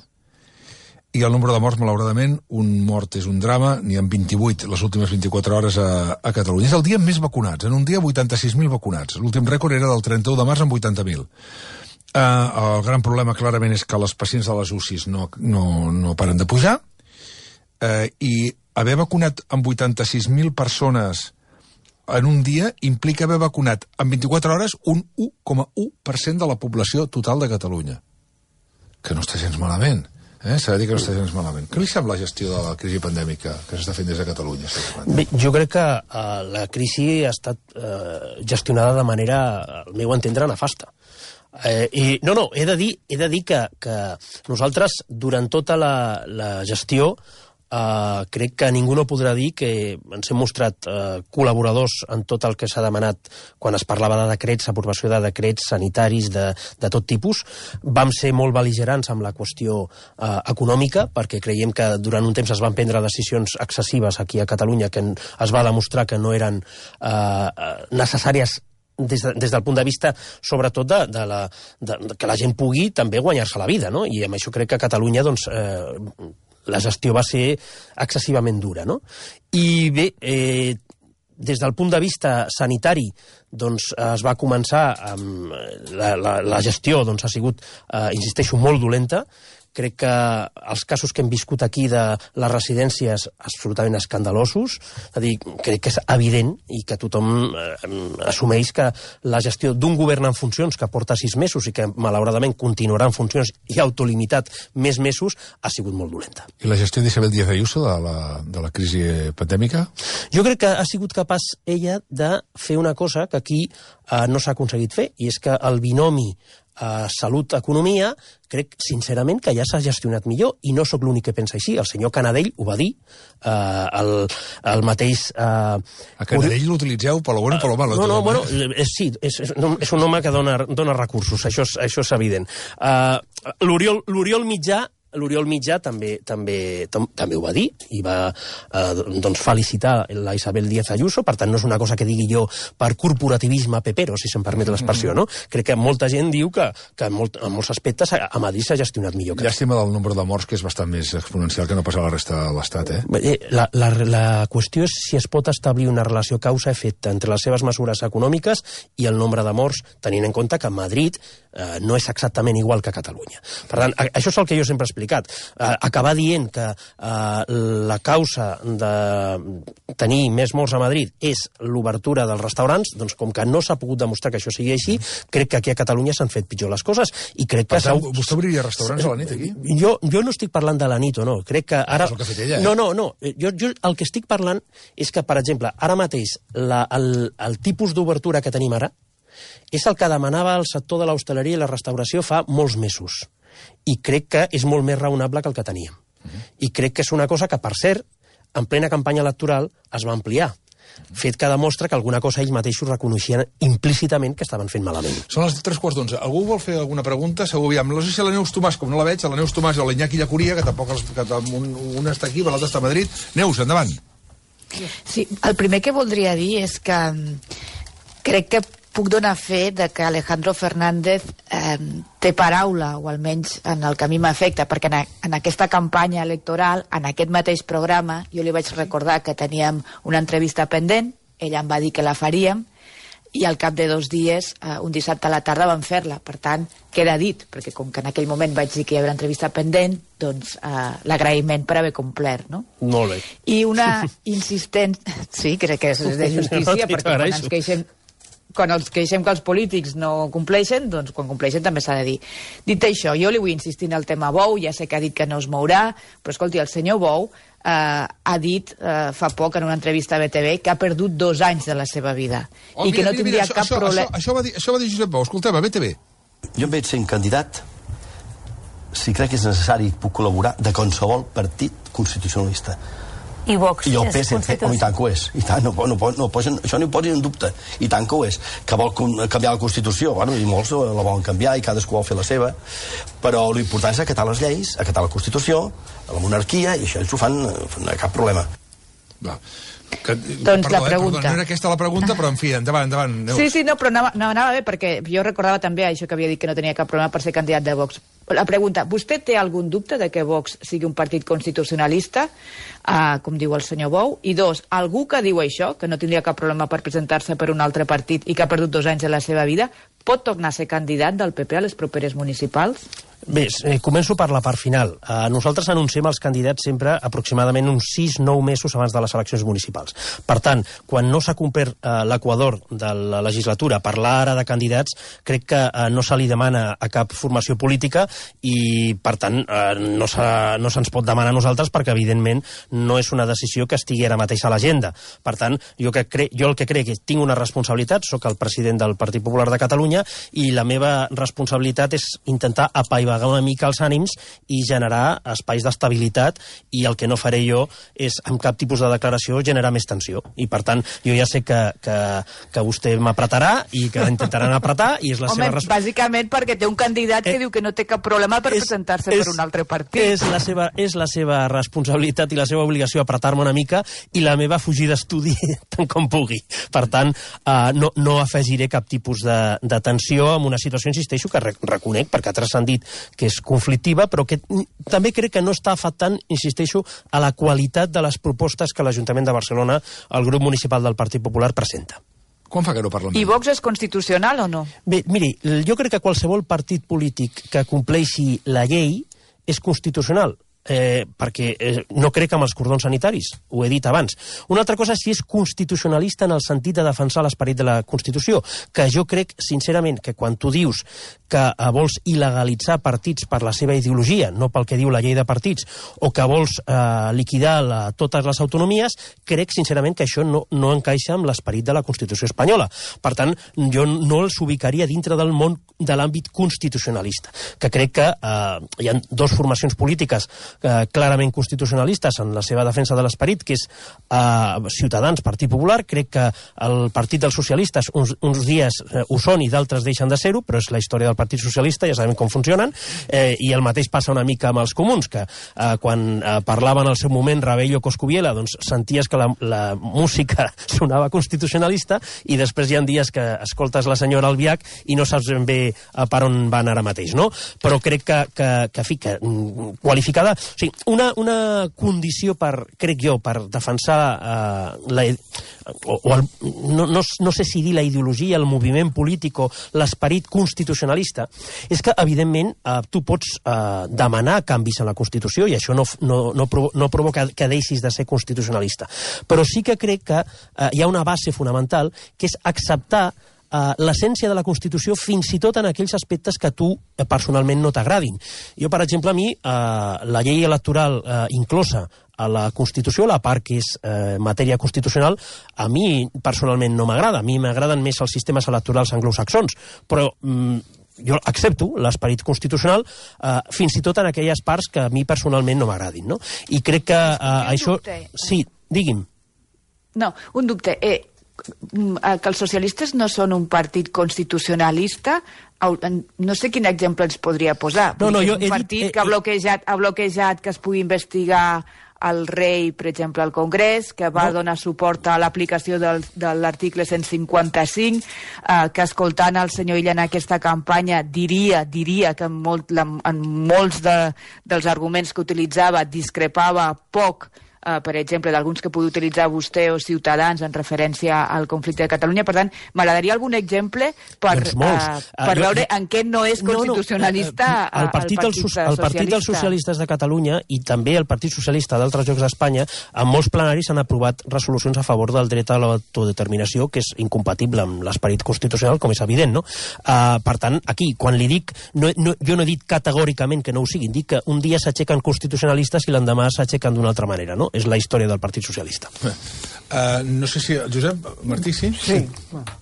Speaker 1: I el nombre de morts, malauradament, un mort és un drama, n'hi ha 28 les últimes 24 hores a Catalunya. És el dia amb més vacunats, en un dia 86.000 vacunats. L'últim rècord era del 31 de març amb 80.000. El gran problema clarament és que les pacients de les UCIs no paren de pujar, i haver vacunat amb 86.000 persones en un dia implica haver vacunat en 24 hores un 1,1% de la població total de Catalunya. Que no està gens malament. S'ha de dir que no està gens malament. Què li sembla la gestió de la crisi pandèmica que s'està fent des de Catalunya?
Speaker 2: Bé, jo crec que la crisi ha estat gestionada de manera, al meu entendre, nefasta. He de dir que nosaltres, durant tota la gestió, crec que ningú no podrà dir que ens hem mostrat col·laboradors en tot el que s'ha demanat quan es parlava de decrets, aprovació de decrets sanitaris de tot tipus. Vam ser molt bel·ligerants amb la qüestió econòmica, perquè creiem que durant un temps es van prendre decisions excessives aquí a Catalunya que es va demostrar que no eren necessàries des del punt de vista, sobretot, que la gent pugui també guanyar-se la vida, no? I amb això crec que a Catalunya, doncs, la gestió va ser excessivament dura, no? I bé, des del punt de vista sanitari, doncs es va començar amb la gestió, doncs ha sigut, insisteixo, molt dolenta. Crec que els casos que hem viscut aquí de les residències absolutament escandalosos, és a dir, crec que és evident i que tothom assumeix que la gestió d'un govern en funcions que porta 6 mesos i que malauradament continuarà en funcions i autolimitat més mesos, ha sigut molt dolenta.
Speaker 1: I la gestió d'Isabel Díaz Ayuso de la crisi pandèmica?
Speaker 2: Jo crec que ha sigut capaç ella de fer una cosa que aquí no s'ha aconseguit fer, i és que el binomi salut-economia, crec sincerament que ja s'ha gestionat millor, i no sóc l'únic que pensa així. El senyor Canadell ho va dir, el mateix...
Speaker 1: A Canadell l'utilitzeu per lo bueno o per lo malo?
Speaker 2: No, bueno, sí, és un home que dona recursos, això és evident. L'Oriol Mitjà també ho va dir i va felicitar la Isabel Díaz Ayuso. Per tant, no és una cosa que digui jo per corporativisme pepero, si se'm permet l'expressió, no? Crec que molta gent diu que en molts aspectes a Madrid s'ha gestionat millor.
Speaker 1: Llàstima del nombre de morts, que és bastant més exponencial que no passa a la resta de l'Estat,
Speaker 2: La qüestió és si es pot establir una relació causa-efecte entre les seves mesures econòmiques i el nombre de morts, tenint en compte que Madrid no és exactament igual que Catalunya. Per tant, això és el que jo sempre he explicat. Acabar dient que la causa de tenir més morts a Madrid és l'obertura dels restaurants, doncs com que no s'ha pogut demostrar que això sigui així, crec que aquí a Catalunya s'han fet pitjor les coses. I crec que...
Speaker 1: Per tant, vostè obriria restaurants a la nit, aquí?
Speaker 2: Jo no estic parlant de la nit o no. Crec que ara...
Speaker 1: És el que ha fet ella,
Speaker 2: No. Jo el que estic parlant és que, per exemple, ara mateix el tipus d'obertura que tenim ara és el que demanava el sector de l'hostaleria i la restauració fa molts mesos. I crec que és molt més raonable que el que teníem. I crec que és una cosa que, per cert, en plena campanya electoral es va ampliar. Fet que demostra que alguna cosa ells mateixos reconeixien implícitament que estaven fent malament.
Speaker 1: Són les 3:15. Algú vol fer alguna pregunta? Segur, aviam. No sé si la Neus Tomàs, com no la veig, la Neus Tomàs o l'Iñaki Llacuria, que tampoc un està aquí, l'altre està a Madrid. Neus, endavant.
Speaker 5: Sí, el primer que voldria dir és que crec que puc donar fe de que Alejandro Fernández té paraula, o almenys en el que a mi m'afecta, perquè en aquesta campanya electoral, en aquest mateix programa, jo li vaig recordar que teníem una entrevista pendent, ella em va dir que la faríem, i al cap de 2 dies, un dissabte a la tarda, vam fer-la. Per tant, queda dit, perquè com que en aquell moment vaig dir que hi havia una entrevista pendent, doncs l'agraïment per haver complert, no?
Speaker 2: Molt bé.
Speaker 5: I una insistent... Sí, crec que és de justícia, perquè quan ens queixem que els polítics no compleixen, doncs quan compleixen també s'ha de dir. Dit això, jo li vull insistir en el tema Bou, ja sé que ha dit que no es mourà, però escolti, el senyor Bou ha dit fa poc en una entrevista a BTV que ha perdut 2 anys de la seva vida i que no tindria cap problema.
Speaker 1: Això va dir Josep Bou. Escoltem, a BTV.
Speaker 6: Jo em veig sent candidat, si crec que és necessari, puc col·laborar de qualsevol partit constitucionalista.
Speaker 7: I Vox
Speaker 6: I el PSC, i tant que ho és. I tant, això no ho posin en dubte. I tant que ho és. Que vol canviar la Constitució, bueno, i molts la volen canviar i cadascú vol fer la seva, però l'important és acatar les lleis, acatar la Constitució, la monarquia, i això ells ho fan, no hi ha cap problema.
Speaker 1: Va.
Speaker 5: Doncs la pregunta.
Speaker 1: No era aquesta la pregunta, però en fi, endavant. Neus.
Speaker 5: Sí, no, però anava bé, perquè jo recordava també això que havia dit que no tenia cap problema per ser candidat de Vox. La pregunta, vostè té algun dubte de que Vox sigui un partit constitucionalista, com diu el senyor Bou? I 2, algú que diu això, que no tindria cap problema per presentar-se per un altre partit i que ha perdut 2 anys de la seva vida, pot tornar a ser candidat del PP a les properes municipals?
Speaker 2: Bé, començo per la part final. Nosaltres anunciem els candidats sempre aproximadament uns 6-9 mesos abans de les eleccions municipals. Per tant, quan no s'ha complert l'equador de la legislatura, parlar ara de candidats crec que no se li demana a cap formació política i, per tant, no se'ns pot demanar a nosaltres perquè, evidentment, no és una decisió que estigui ara mateix a l'agenda. Per tant, jo el que crec és que tinc una responsabilitat, sóc el president del Partit Popular de Catalunya i la meva responsabilitat és intentar apaivagar una mica els ànims i generar espais d'estabilitat, i el que no faré jo és, amb cap tipus de declaració, generar més tensió. I, per tant, jo ja sé que vostè m'apretarà i que intentaran apretar, i és la seva responsabilitat.
Speaker 5: Bàsicament perquè té un candidat que diu que no té cap problema per presentar-se per un altre partit.
Speaker 2: És la seva responsabilitat i la seva obligació apretar-me una mica, i la meva fugir d'estudi tant com pugui. Per tant, no afegiré cap tipus de tensió en una situació, insisteixo, que reconec, perquè altres han dit que és conflictiva, però que també crec que no està afectant, insisteixo, a la qualitat de les propostes que l'Ajuntament de Barcelona, el grup municipal del Partit Popular, presenta.
Speaker 1: Quan fa que no parlem?
Speaker 5: I Vox és constitucional o no?
Speaker 2: Bé, miri, jo crec que qualsevol partit polític que compleixi la llei és constitucional. Perquè no crec en els cordons sanitaris, ho he dit abans. Una altra cosa és si és constitucionalista en el sentit de defensar l'esperit de la Constitució, que jo crec, sincerament, que quan tu dius que vols il·legalitzar partits per la seva ideologia, no pel que diu la llei de partits, o que vols liquidar totes les autonomies, crec, sincerament, que això no encaixa amb l'esperit de la Constitució espanyola. Per tant, jo no els ubicaria dintre del món de l'àmbit constitucionalista, que crec que hi ha dues formacions polítiques clarament constitucionalistes en la seva defensa de l'esperit, que és Ciutadans, Partit Popular. Crec que el Partit dels Socialistes uns dies ho són i d'altres deixen de ser-ho, però és la història del Partit Socialista, ja sabem com funcionen, i el mateix passa una mica amb els comuns, que quan parlaven al seu moment Rabell o Coscubiela, doncs senties que la música sonava constitucionalista, i després hi ha dies que escoltes la senyora Albiach i no saps ben bé per on van ara mateix, no? Però crec que qualificada. O sigui, una condició crec jo, per defensar no sé si dir la ideologia, el moviment polític o l'esperit constitucionalista, és que, evidentment, tu pots demanar canvis en la Constitució, i això no provoca que deixis de ser constitucionalista. Però sí que crec que hi ha una base fonamental, que és acceptar l'essència de la Constitució, fins i tot en aquells aspectes que a tu personalment no t'agradin. Jo, per exemple, a mi, la llei electoral inclosa a la Constitució, la part que és matèria constitucional, a mi personalment no m'agrada. A mi m'agraden més els sistemes electorals anglosaxons, però jo accepto l'esperit constitucional fins i tot en aquelles parts que a mi personalment no m'agradin, no? I crec que això... Sí, digui'm.
Speaker 5: No, un dubte. Que els socialistes no són un partit constitucionalista, no sé quin exemple ens podria posar.
Speaker 2: Un
Speaker 5: partit que ha bloquejat que es pugui investigar el rei, per exemple, al Congrés, que va donar suport a l'aplicació de l'article 155, que escoltant el senyor Illa en aquesta campanya diria que en molts dels arguments que utilitzava discrepava poc, per exemple, d'alguns que pugui utilitzar vostè o Ciutadans en referència al conflicte de Catalunya. Per tant, m'agradaria algun exemple per veure en què no és constitucionalista el Partit
Speaker 2: dels Socialistes de Catalunya, i també el Partit Socialista d'altres llocs d'Espanya, en molts plenaris han aprovat resolucions a favor del dret a l'autodeterminació, que és incompatible amb l'esperit constitucional, com és evident, no? Per tant, aquí, quan li dic, jo no he dit categòricament que no ho siguin, dic que un dia s'aixequen constitucionalistes i l'endemà s'aixequen d'una altra manera, no? És la història del Partit Socialista.
Speaker 1: No sé si... Josep, Martí, sí?
Speaker 3: Sí.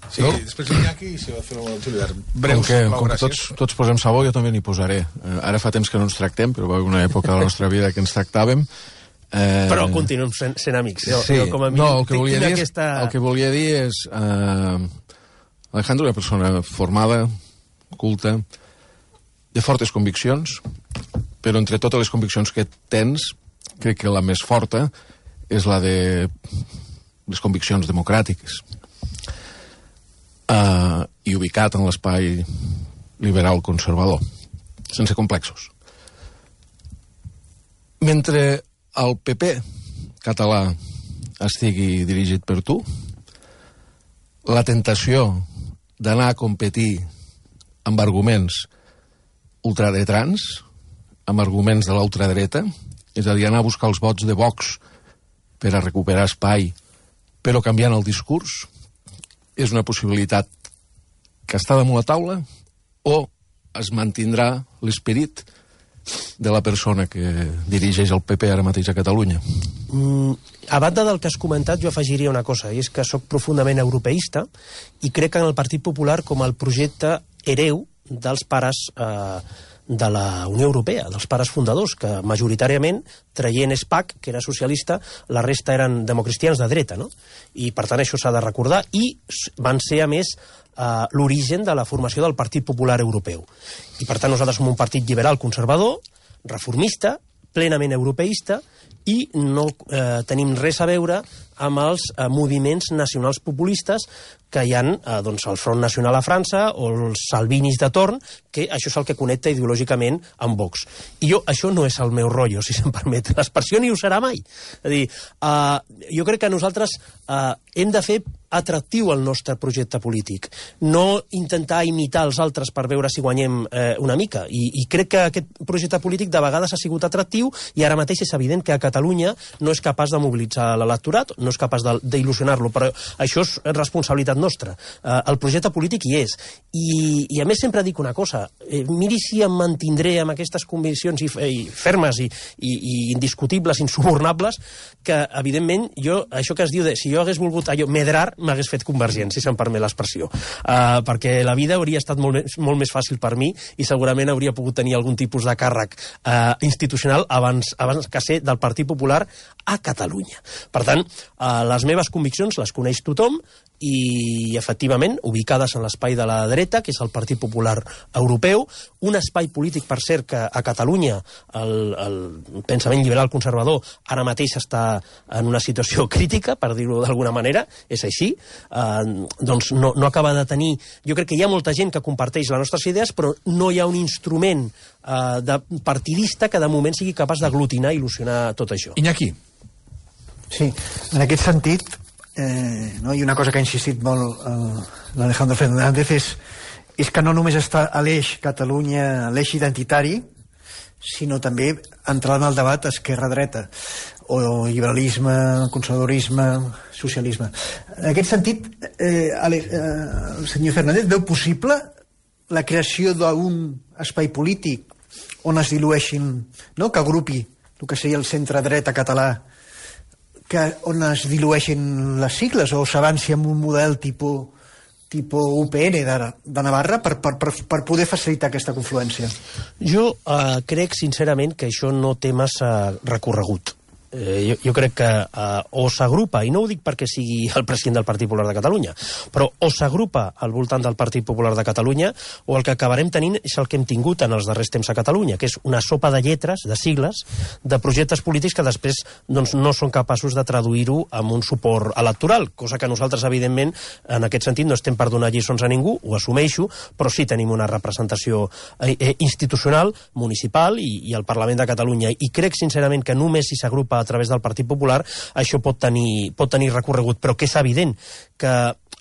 Speaker 1: Sí, després l'Iñaki i si va fer el Juli Vern.
Speaker 7: Com que tots posem sabó, jo també n'hi posaré. Ara fa temps que no ens tractem, però va haver una època de la nostra vida que ens tractàvem.
Speaker 2: Però continuem sent amics.
Speaker 7: Sí, el que volia dir és... Alejandro és una persona formada, culta, de fortes conviccions, però entre totes les conviccions que tens, crec que la més forta és la de les conviccions democràtiques, i ubicat en l'espai liberal conservador, sense complexos. Mentre el PP català estigui dirigit per tu, la tentació d'anar a competir amb arguments ultradretans, amb arguments de la ultradreta, és a dir, anar a buscar els vots de Vox per a recuperar espai, però canviant el discurs, és una possibilitat que està damunt la taula, o es mantindrà l'esperit de la persona que dirigeix el PP ara mateix a Catalunya?
Speaker 2: A banda del que has comentat, jo afegiria una cosa, i és que sóc profundament europeista i crec en el Partit Popular com el projecte hereu dels pares de la Unió Europea, dels pares fundadors, que majoritàriament, traient SPAC, que era socialista, la resta eren democristians de dreta, no? I per tant això s'ha de recordar, i van ser a més l'origen de la formació del Partit Popular Europeu. I per tant nosaltres som un partit liberal conservador, reformista, plenament europeista, i no tenim res a veure amb els moviments nacionals populistes que hi ha doncs, el Front Nacional a França o els salvinis de torn, que això és el que connecta ideològicament amb Vox. I això no és el meu rotllo, si se'm permet l'expressió, ni ho serà mai. És a dir, jo crec que nosaltres hem de fer atractiu el nostre projecte polític, no intentar imitar els altres per veure si guanyem una mica. I crec que aquest projecte polític de vegades ha sigut atractiu i ara mateix és evident que a Catalunya no és capaç de mobilitzar l'electorat, no és capaç d'il·lusionar-lo, però això és responsabilitat nostra. El projecte polític hi és. I a més sempre dic una cosa, miri si em mantindré amb aquestes conviccions fermes i indiscutibles, insubornables, que evidentment jo, això que es diu de si jo hagués volgut allò medrar, m'hagués fet convergent, si se'm permet l'expressió. Perquè la vida hauria estat molt més fàcil per mi i segurament hauria pogut tenir algun tipus de càrrec institucional abans que ser del Partit Popular a Catalunya. Per tant, les meves conviccions les coneix tothom i, efectivament, ubicades en l'espai de la dreta, que és el Partit Popular Europeu, un espai polític, per cert, que a Catalunya el pensament liberal conservador ara mateix està en una situació crítica, per dir-ho d'alguna manera, és així, doncs no acaba de tenir... Jo crec que hi ha molta gent que comparteix les nostres idees, però no hi ha un instrument partidista que de moment sigui capaç d'aglutinar i il·lusionar tot això.
Speaker 1: Iñaki.
Speaker 8: Sí, en aquest sentit, no? I una cosa que ha insistit molt l'Alejandro Fernández és que no només està a l'eix Catalunya, l'eix identitari, sinó també entrar en el debat esquerra-dreta, o liberalisme, conservadorisme, socialisme. En aquest sentit, el senyor Fernández veu possible la creació d'un espai polític on es dilueixin, no? Que agrupi el que seria el centre-dreta català, on es dilueixin les sigles, o s'avanci amb un model tipus UPN de Navarra per poder facilitar aquesta confluència?
Speaker 2: Jo crec sincerament que això no té massa recorregut. Jo crec que o s'agrupa, i no ho dic perquè sigui el president del Partit Popular de Catalunya, però o s'agrupa al voltant del Partit Popular de Catalunya, o el que acabarem tenint és el que hem tingut en els darrers temps a Catalunya, que és una sopa de lletres, de sigles, de projectes polítics que després doncs, no són capaços de traduir-ho amb un suport electoral, cosa que nosaltres, evidentment, en aquest sentit no estem per donar lliçons a ningú, ho assumeixo, però sí tenim una representació institucional, municipal i al Parlament de Catalunya, i crec sincerament que només si s'agrupa a través del Partit Popular això pot tenir recorregut, però que és evident que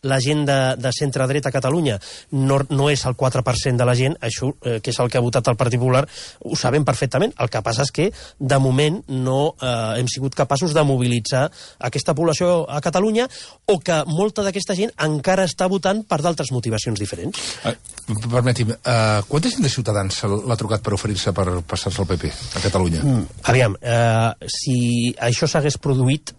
Speaker 2: la gent de centre-dreta a Catalunya no és el 4% de la gent, això que és el que ha votat el Partit Popular, ho sabem perfectament. El que passa és que de moment no hem sigut capaços de mobilitzar aquesta població a Catalunya, o que molta d'aquesta gent encara està votant per d'altres motivacions diferents.
Speaker 1: Permeti'm, quanta gent de Ciutadans l'ha trucat per oferir-se per passar-se al PP a Catalunya?
Speaker 2: Aviam, si això s'hagués produït,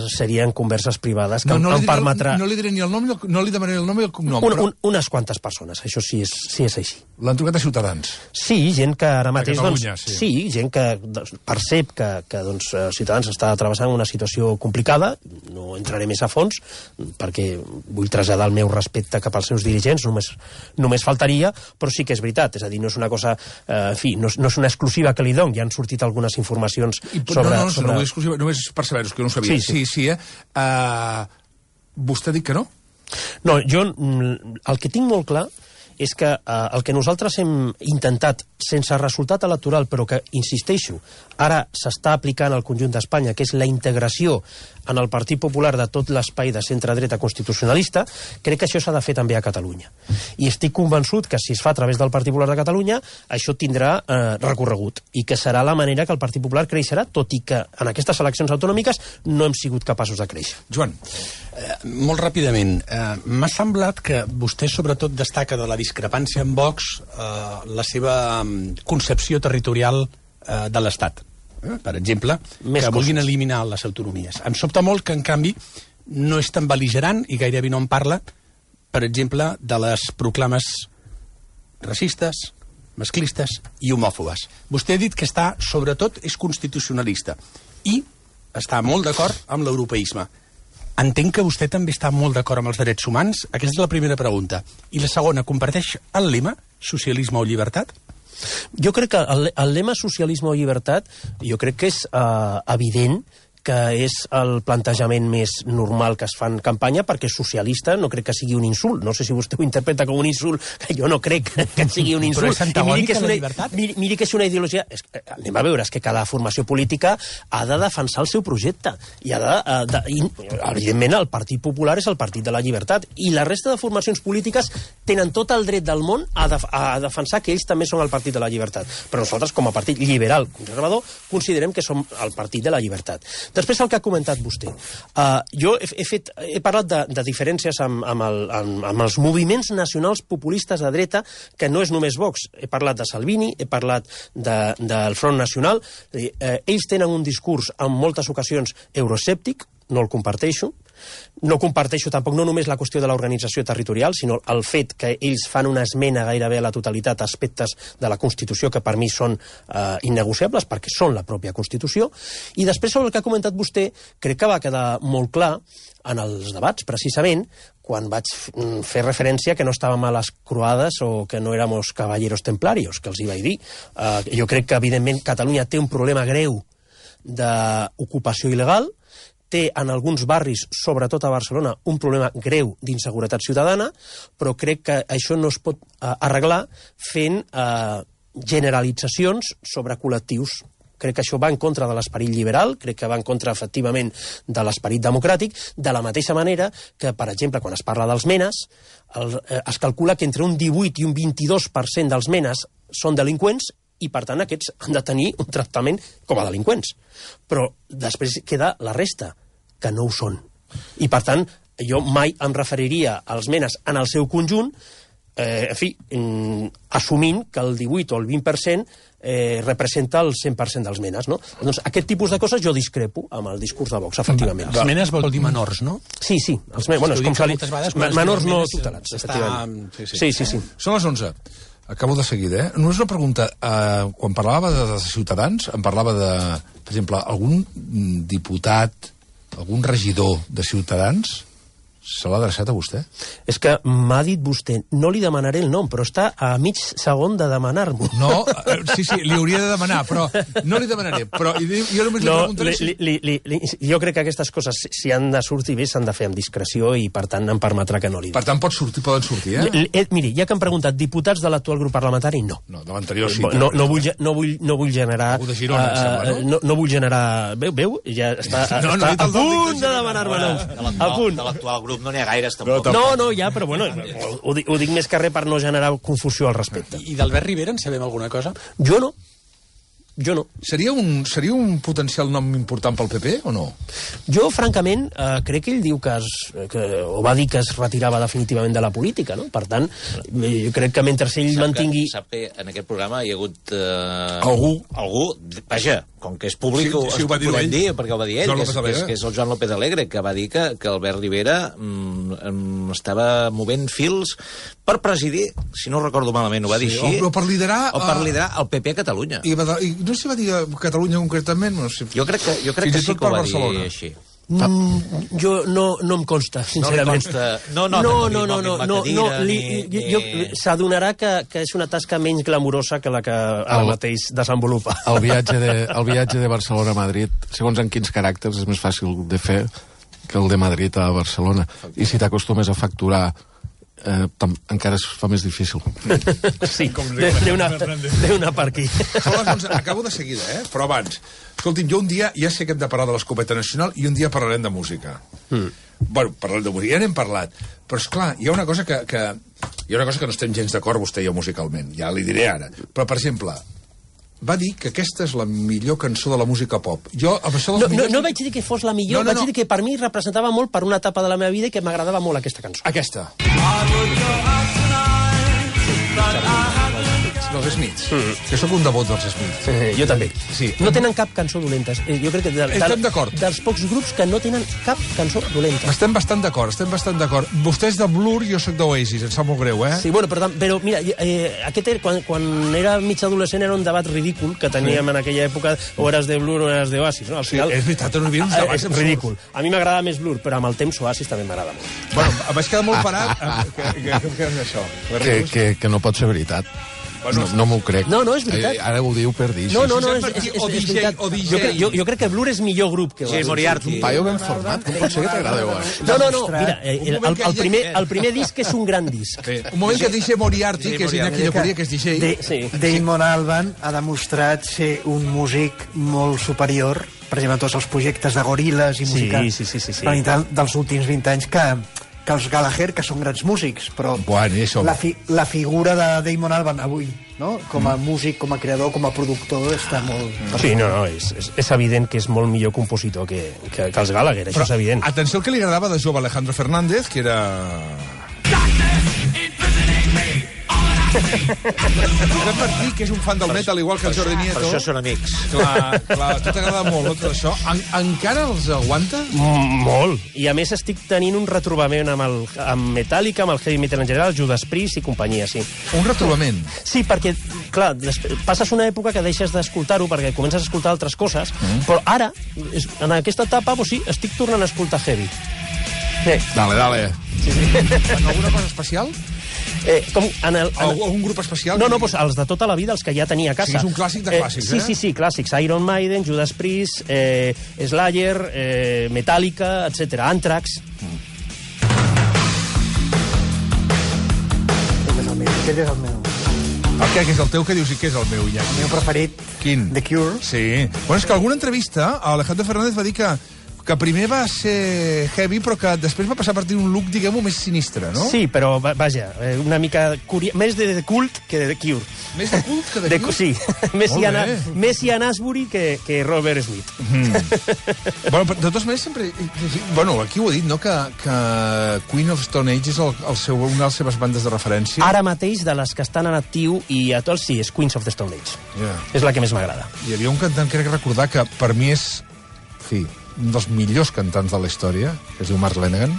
Speaker 2: serien converses privades que em permetrà...
Speaker 1: No li diré ni el nom, no li demanaré el nom i el cognom, però...
Speaker 2: Unes quantes persones, això sí és així.
Speaker 1: L'han trucat a Ciutadans?
Speaker 2: Sí, gent que ara mateix...
Speaker 1: Catalunya,
Speaker 2: doncs, sí, gent que percep que doncs, Ciutadans està travessant una situació complicada, no entraré més a fons, perquè vull traslladar el meu respecte cap als seus dirigents, només faltaria, però sí que és veritat, és a dir, no és una cosa... En fi, no és una exclusiva que li dono, ja han sortit algunes informacions sobre...
Speaker 1: No vull exclusiva, només per saber-ho, que no ho sabia. Sí, vostè ha dit que no?
Speaker 2: No, jo el que tinc molt clar és que el que nosaltres hem intentat, sense resultat electoral, però que, insisteixo, ara s'està aplicant al conjunt d'Espanya, que és la integració en el Partit Popular de tot l'espai de centre-dreta constitucionalista, crec que això s'ha de fer també a Catalunya. I estic convençut que si es fa a través del Partit Popular de Catalunya, això tindrà recorregut, i que serà la manera que el Partit Popular creixerà, tot i que en aquestes eleccions autonòmiques no hem sigut capaços de créixer.
Speaker 1: Joan.
Speaker 9: Molt ràpidament, m'ha semblat que vostè sobretot destaca de la discrepància amb Vox la seva concepció territorial de l'Estat. Per exemple, que vulguin eliminar les autonomies. Em sobta molt que, en canvi, no és tan bel·ligerant i gairebé no en parla, per exemple, de les proclames racistes, masclistes i homòfobes. Vostè ha dit que sobretot, és constitucionalista i està molt d'acord amb l'europeisme. Entenc que vostè també està molt d'acord amb els drets humans? Aquesta és la primera pregunta. I la segona, comparteix el lema socialisme o llibertat?
Speaker 2: Jo crec que el lema socialisme o llibertat, jo crec que és evident que és el plantejament més normal que es fa en campanya, perquè socialista no crec que sigui un insult. No sé si vostè ho interpreta com un insult, que jo no crec que sigui un insult.
Speaker 9: Però és antagònic a la llibertat?
Speaker 2: Miri que és una ideologia... Anem a veure, és que cada formació política ha de defensar el seu projecte. I evidentment, el Partit Popular és el Partit de la Llibertat. I la resta de formacions polítiques tenen tot el dret del món a defensar que ells també són el Partit de la Llibertat. Però nosaltres, com a partit liberal conservador, considerem que som el Partit de la Llibertat. Després el que ha comentat vostè. Jo he parlat de diferències amb els moviments nacionals populistes de dreta, que no és només Vox. He parlat de Salvini, he parlat del Front Nacional. Ells tenen un discurs en moltes ocasions euroescèptic, no el comparteixo. No comparteixo tampoc no només la qüestió de l'organització territorial, sinó el fet que ells fan una esmena gairebé a la totalitat a aspectes de la Constitució que per mi són innegociables, perquè són la pròpia Constitució. I després, sobre el que ha comentat vostè, crec que va quedar molt clar en els debats, precisament, quan vaig fer referència que no estàvem a les croades o que no éramos caballeros templarios, que els hi vaig dir. Jo crec que, evidentment, Catalunya té un problema greu d'ocupació il·legal, té en alguns barris, sobretot a Barcelona, un problema greu d'inseguretat ciutadana, però crec que això no es pot arreglar fent generalitzacions sobre col·lectius. Crec que això va en contra de l'esperit liberal, crec que va en contra, efectivament, de l'esperit democràtic, de la mateixa manera que, per exemple, quan es parla dels menes, es calcula que entre un 18 i un 22% dels menes són delinqüents i, per tant, aquests han de tenir un tractament com a delinqüents. Però després queda la resta, que no ho són. I, per tant, jo mai em referiria als menes en el seu conjunt, assumint que el 18 o el 20% representa el 100% dels menes, no? Doncs aquest tipus de coses jo discrepo amb el discurs de Vox, efectivament.
Speaker 9: Els menes vol dir menors, no?
Speaker 2: Sí. Menors no tutelats, efectivament. Sí.
Speaker 1: Són les 11. Acabo de seguida, Només una pregunta. Quan parlava de Ciutadans, em parlava de, per exemple, algun diputat, algun regidor de Ciutadans se l'ha adreçat a vostè?
Speaker 2: És que m'ha dit vostè, no li demanaré el nom, però està a mig segon de demanar-m'ho.
Speaker 1: No, sí, li hauria de demanar, però no li demanaré. Però jo només li preguntaré...
Speaker 2: Jo crec que aquestes coses, si han de sortir bé, s'han de fer amb discreció i, per tant, em permetrà que no li...
Speaker 1: Per tant, poden sortir,
Speaker 2: Miri, ja que han preguntat diputats de l'actual grup parlamentari, no.
Speaker 1: No, de l'anterior sí.
Speaker 2: No vull generar...
Speaker 1: Algú de Girona, em sembla, no?
Speaker 2: No vull generar... Veu? Ja està a punt de demanar-me noms. A punt.
Speaker 10: De l'actual grup no n'hi ha gaires, tampoc.
Speaker 2: No, ja, però bueno, ho dic més que res per no generar confusió al respecte.
Speaker 9: I d'Albert Rivera en sabem alguna cosa?
Speaker 2: Jo no.
Speaker 1: Seria un potencial nom important pel PP o no?
Speaker 2: Jo, francament, crec que ell diu o va dir que es retirava definitivament de la política, no? Per tant, jo crec que mentre ell mantingui...
Speaker 10: Sap que en aquest programa hi ha hagut...
Speaker 1: Algú,
Speaker 10: vaja, com que és públic,
Speaker 1: sí, ho va dir ell,
Speaker 10: perquè ho va dir ell, que és el Joan López Alegre, que va dir que Albert Rivera estava movent fils per presidir, si no recordo malament, ho va dir així...
Speaker 1: O per liderar
Speaker 10: el PP a Catalunya.
Speaker 1: I no sé si va dir Catalunya concretament, no sé.
Speaker 10: Jo crec que sí que ho va dir així.
Speaker 2: Jo no em consta, sincerament. S'adonarà que és una tasca menys glamurosa que la que ara mateix desenvolupa.
Speaker 7: El viatge de Barcelona a Madrid, segons en quins caràcters, és més fàcil de fer que el de Madrid a Barcelona. I si t'acostumes a facturar encara es fa més difícil.
Speaker 2: Sí, deu anar per aquí.
Speaker 1: Són les 11, acabo de seguida, però abans. Escolti'm, jo un dia, ja sé que hem de parlar de l'Escopeta Nacional i un dia parlarem de música. Bueno, parlarem de música, ja n'hem parlat. Però, esclar, hi ha una cosa que no estem gens d'acord, vostè i jo, musicalment. Ja li diré ara. Però, per exemple, va dir que aquesta és la millor cançó de la música pop. Jo, amb això
Speaker 2: no vaig dir que fos la millor, vaig dir que per mi representava molt per una etapa de la meva vida i que m'agradava molt aquesta cançó.
Speaker 1: Aquesta. Dels Smiths. Que sóc un devot dels Smiths.
Speaker 2: Jo també.
Speaker 1: Sí.
Speaker 2: No tenen cap cançó dolenta. Jo crec que
Speaker 1: estem d'acord.
Speaker 2: Dels pocs grups que no tenen cap cançó dolenta.
Speaker 1: Estem bastant d'acord. Vostè és de Blur, jo sóc d'Oasis, em sap molt greu,
Speaker 2: Sí, bueno, però mira, quan era mig adolescent era un debat ridícul que teníem en aquella època, o eres de Blur o eres d'Oasis, no? Al final,
Speaker 1: és veritat, no hi havia uns debats
Speaker 2: és ridícul. A mi m'agrada més Blur, però amb el temps Oasis també m'agrada molt.
Speaker 1: Bueno, vaig quedar molt parat que és això.
Speaker 7: Que no pot ser veritat. No m'ho crec.
Speaker 2: No, és veritat.
Speaker 7: Ara ho diu per dir.
Speaker 2: No, és veritat. Jo crec que Blur és millor grup que
Speaker 10: Jay Moriarty.
Speaker 7: Un paio ben format, com pot ser que t'agrada Oasis?
Speaker 2: No, mira, el primer disc és un gran disc.
Speaker 1: Un moment que dice Moriarty, que és Iñaki Lleporia, que és DJ.
Speaker 8: Damon Albarn ha demostrat ser un músic molt superior, per exemple, a tots els projectes de Gorillaz i música dels últims 20 anys que els Gallagher, que són grans músics, però la figura de Damon Albarn avui, no? Com a músic, com a creador, com a productor, està molt...
Speaker 2: Sí, és evident que és molt millor compositor que els Gallagher, això és evident.
Speaker 1: Atenció al que li agradava de jove Alejandro Fernández, que era... Josep Martí, que és un fan del metal, igual que el Jordi Nieto.
Speaker 10: Per això són amics.
Speaker 1: Clar, a tu t'agrada molt, no, tot això. Encara els aguanta?
Speaker 2: Molt. I a més estic tenint un retrobament amb Metallica, amb el heavy metal en general, Judas Priest i companyia, sí.
Speaker 1: Un retrobament?
Speaker 2: Sí, perquè, clar, passes una època que deixes d'escoltar-ho perquè comences a escoltar altres coses, però ara, en aquesta etapa, sí, estic tornant a escoltar heavy.
Speaker 7: Dale.
Speaker 2: Sí.
Speaker 1: Alguna cosa especial? Un grup especial?
Speaker 2: No, doncs els de tota la vida, els que ja tenia a casa.
Speaker 1: Sí, és un clàssic de clàssics,
Speaker 2: Sí, clàssics. Iron Maiden, Judas Priest, Slayer, Metallica, etc. Anthrax.
Speaker 8: Aquest és el meu.
Speaker 1: Què és el teu? Què dius i què és el meu, ja?
Speaker 8: El meu preferit.
Speaker 1: Quin?
Speaker 8: The Cure.
Speaker 1: Sí. Bueno, és que alguna entrevista Alejandro Fernández va dir que primer va ser heavy, però que després va passar a partir d'un look, diguem-ho, més sinistre, no?
Speaker 2: Sí, però, vaja, una mica... Més de cult que de Cure.
Speaker 1: Més de cult que de Cure?
Speaker 2: Sí. Més Ian Astbury que Robert Smith.
Speaker 1: Bueno, de totes maneres, sempre... Bueno, aquí ho he dit, no?, que Queen of Stone Age és una de les seves bandes de referència.
Speaker 2: Ara mateix, de les que estan en actiu i a tots, sí, és Queens of the Stone Age. És la que més m'agrada.
Speaker 1: Hi havia un cantant, crec recordar, que per mi és... Sí, un dels millors cantants de la història, que es diu Mark Lanegan.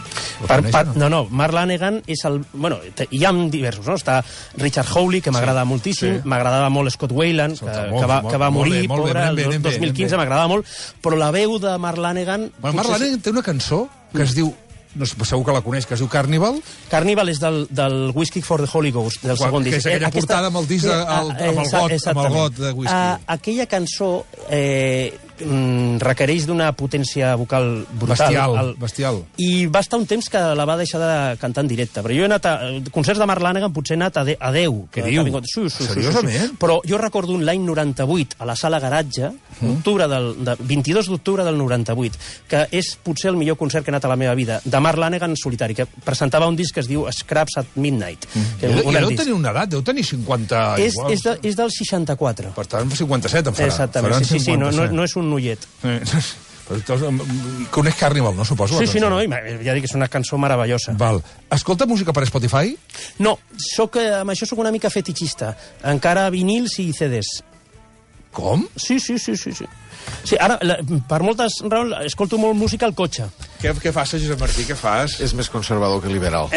Speaker 2: Mark Lanegan és el... Bueno, hi ha diversos, no? Està Richard Hawley, que m'agrada moltíssim, m'agradava molt Scott Weiland, que va morir, pobre, el 2015, m'agradava molt, però la veu de Mark Lanegan...
Speaker 1: Mark Lanegan té una cançó que es diu... No sé, segur que la coneix, que es diu Carnival.
Speaker 2: Carnival és del Whiskey for the Holy Ghost, del segon disc.
Speaker 1: Que és aquella portada amb el disc amb el got de whisky.
Speaker 2: Aquella cançó requereix d'una potència vocal brutal.
Speaker 1: Bestial.
Speaker 2: I va estar un temps que la va deixar de cantar en directe. Però jo he anat a concerts de Mark Lanegan, potser he anat a 10.
Speaker 1: Què diu? Seriosament?
Speaker 2: Però jo recordo l'any 98, a la sala Garatge, 22 d'octubre del 98, que és potser el millor concert que he anat a la meva vida, de Mark Lanegan solitari, que presentava un disc que es diu Scraps at Midnight.
Speaker 1: I deu tenir una edat, deu tenir 50...
Speaker 2: És del 64.
Speaker 1: Per tant, 57 en farà.
Speaker 2: Exactament, sí, no és un noiet.
Speaker 1: Coneix Carnival, no, suposo?
Speaker 2: Sí, ja dic que és una cançó meravellosa.
Speaker 1: Val. Escolta música per Spotify?
Speaker 2: No, amb això sóc una mica fetichista. Encara vinils i CDs.
Speaker 1: Com?
Speaker 2: Sí. Sí, ara, per moltes raons, escolto molt música al cotxe.
Speaker 1: Què fas, Josep Martí, què fas?
Speaker 7: És més conservador que liberal.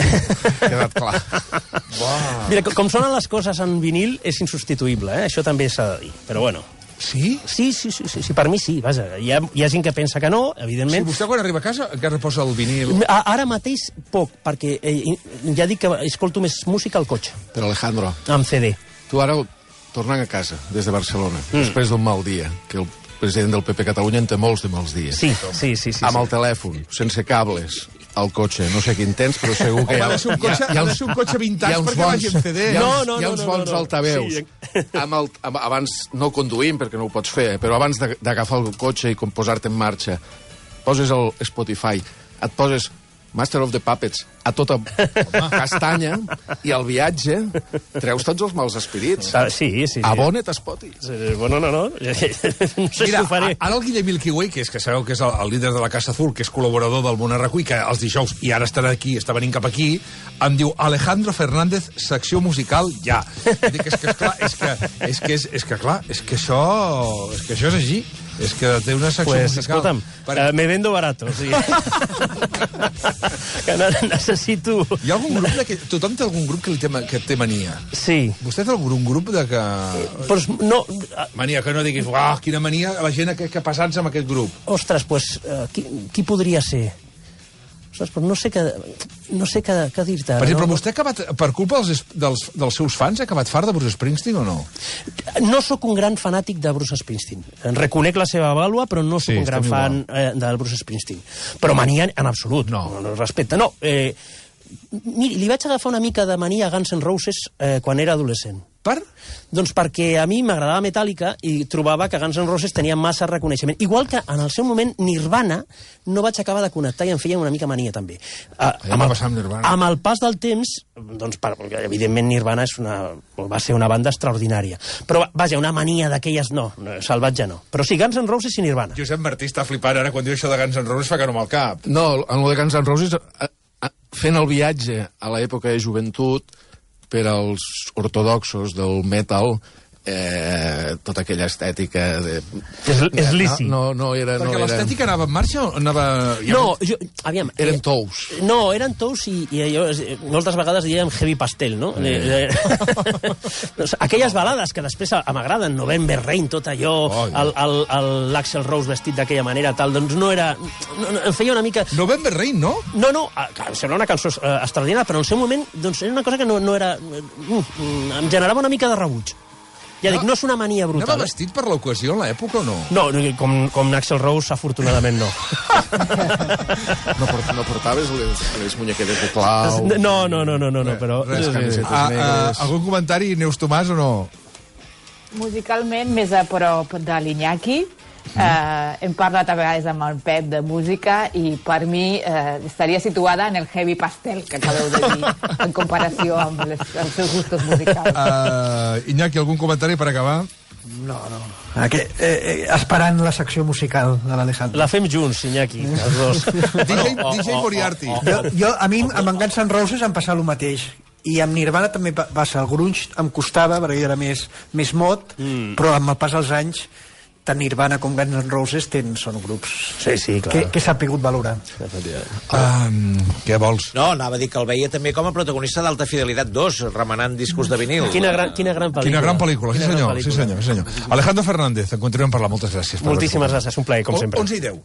Speaker 7: Quedat clar.
Speaker 2: Mira, com sonen les coses en vinil, és insubstituïble, Això també s'ha de dir, però bueno.
Speaker 1: Sí?
Speaker 2: Sí, per mi sí, vaja. Hi ha gent que pensa que no, evidentment.
Speaker 1: Si vostè quan arriba a casa encara posa el vinil...
Speaker 2: Ara mateix poc, perquè ja dic que escolto més música al cotxe.
Speaker 7: Però Alejandro...
Speaker 2: Amb CD.
Speaker 7: Tu ara, tornant a casa, des de Barcelona, després d'un mal dia, que el president del PP Catalunya en té molts de mals dies.
Speaker 2: Sí.
Speaker 7: Amb el telèfon, sense cables, al cotxe. No sé quin tens, però segur que
Speaker 1: ha de ser un cotxe vintage perquè vagi en CD.
Speaker 7: Hi ha uns bons altaveus. Abans, no conduïm, perquè no ho pots fer, però abans d'agafar el cotxe i posar-te en marxa, poses el Spotify, et poses Master of the Puppets a tota castanya i al viatge treus tots els mals espirits.
Speaker 2: Sí.
Speaker 7: Abona't a Spotify.
Speaker 2: Bueno, no. No sé si ho faré.
Speaker 1: Ara el Guillem Milky Way, que sabeu que és el líder de la Casa Azul, que és col·laborador del Món Arracuí, que els dijous, i ara estarà aquí, està venint cap aquí, em diu Alejandro Fernández, secció musical, ja. Dic, és que això és així. És que té una secció musical.
Speaker 2: Escolta'm, me vendo barato. Sí. Que necessito...
Speaker 1: Hi ha algun grup que... Tothom té algun grup que té mania.
Speaker 2: Sí.
Speaker 1: Vostè té algun grup de que...
Speaker 2: Pues no...
Speaker 1: Mania, que no diguis, quina mania la gent que passats amb aquest grup.
Speaker 2: Ostres, pues, qui podria ser? Ostres, però no sé què dir-te.
Speaker 1: Per exemple, vostè ha acabat, per culpa dels seus fans, ha acabat fart de Bruce Springsteen o no?
Speaker 2: No sóc un gran fanàtic de Bruce Springsteen. Reconec la seva vàlua, però no sóc un gran fan del Bruce Springsteen. Però mania en absolut. No respecte. No, miri, li vaig agafar una mica de mania a Guns N' Roses quan era adolescent.
Speaker 1: Per?
Speaker 2: Doncs perquè a mi m'agradava Metallica i trobava que Guns N' Roses tenia massa reconeixement. Igual que en el seu moment Nirvana no vaig acabar de connectar i em feia una mica mania també. Amb el pas del temps, doncs, evidentment Nirvana va ser una banda extraordinària. Però, vaja, una mania d'aquelles no, salvatge no. Però sí, Guns N' Roses i Nirvana.
Speaker 1: Josep Martí està flipant ara quan diu això de Guns N' Roses fa que no amb el cap.
Speaker 7: No, en el de Guns N' Roses, fent el viatge a l'època de joventut, per als ortodoxos del metal, tota aquella estètica de...
Speaker 2: És lícit.
Speaker 7: No era...
Speaker 1: Perquè l'estètica anava en marxa o anava...
Speaker 2: No, aviam...
Speaker 7: Eren tous.
Speaker 2: No, eren tous i allò, moltes vegades diem heavy pastel, no? Aquelles balades que després m'agraden, November Rain, tot allò, l'Axl Rose vestit d'aquella manera, tal, doncs no era... Em feia una mica...
Speaker 1: November Rain, no?
Speaker 2: No, sembla una cançó extraordinària, però en el seu moment doncs, era una cosa que no era... Em generava una mica de rebuig. Ja dic, no és una mania brutal.
Speaker 1: Anava vestit per l'ocasió en l'època o no?
Speaker 2: No, com Axl Rose, afortunadament no.
Speaker 7: No portaves les muñequetes de clau?
Speaker 2: No, però...
Speaker 1: Algun comentari, Neus Tomàs, o no?
Speaker 5: Musicalment, més a prop de l'Iñaki. Hem parlat a vegades amb el Pep de música i per mi estaria situada en el heavy pastel que acabeu de dir en comparació amb els seus gustos musicals.
Speaker 1: Iñaki, algun comentari per acabar?
Speaker 8: No. Esperant la secció musical de l'Alejandro.
Speaker 2: La fem junts, Iñaki, els dos.
Speaker 1: DJ Moriarty.
Speaker 8: A mi amb Guns N' Roses em passa el mateix. I amb Nirvana també passa. El grunge em costava, perquè jo era més mod, però amb el pas dels anys tant Nirvana com Guns N' Roses són grups
Speaker 2: clar.
Speaker 8: que s'ha pogut valorar.
Speaker 1: Què vols?
Speaker 10: No, anava a dir que el veia també com a protagonista d'Alta Fidelitat 2, remenant discos de vinil.
Speaker 2: Quina gran pel·lícula.
Speaker 1: Quina gran pel·lícula, sí senyor. Alejandro Fernández, en continuem parlant. Moltes gràcies.
Speaker 2: Moltíssimes gràcies, un plaer, com sempre.
Speaker 1: 11:10.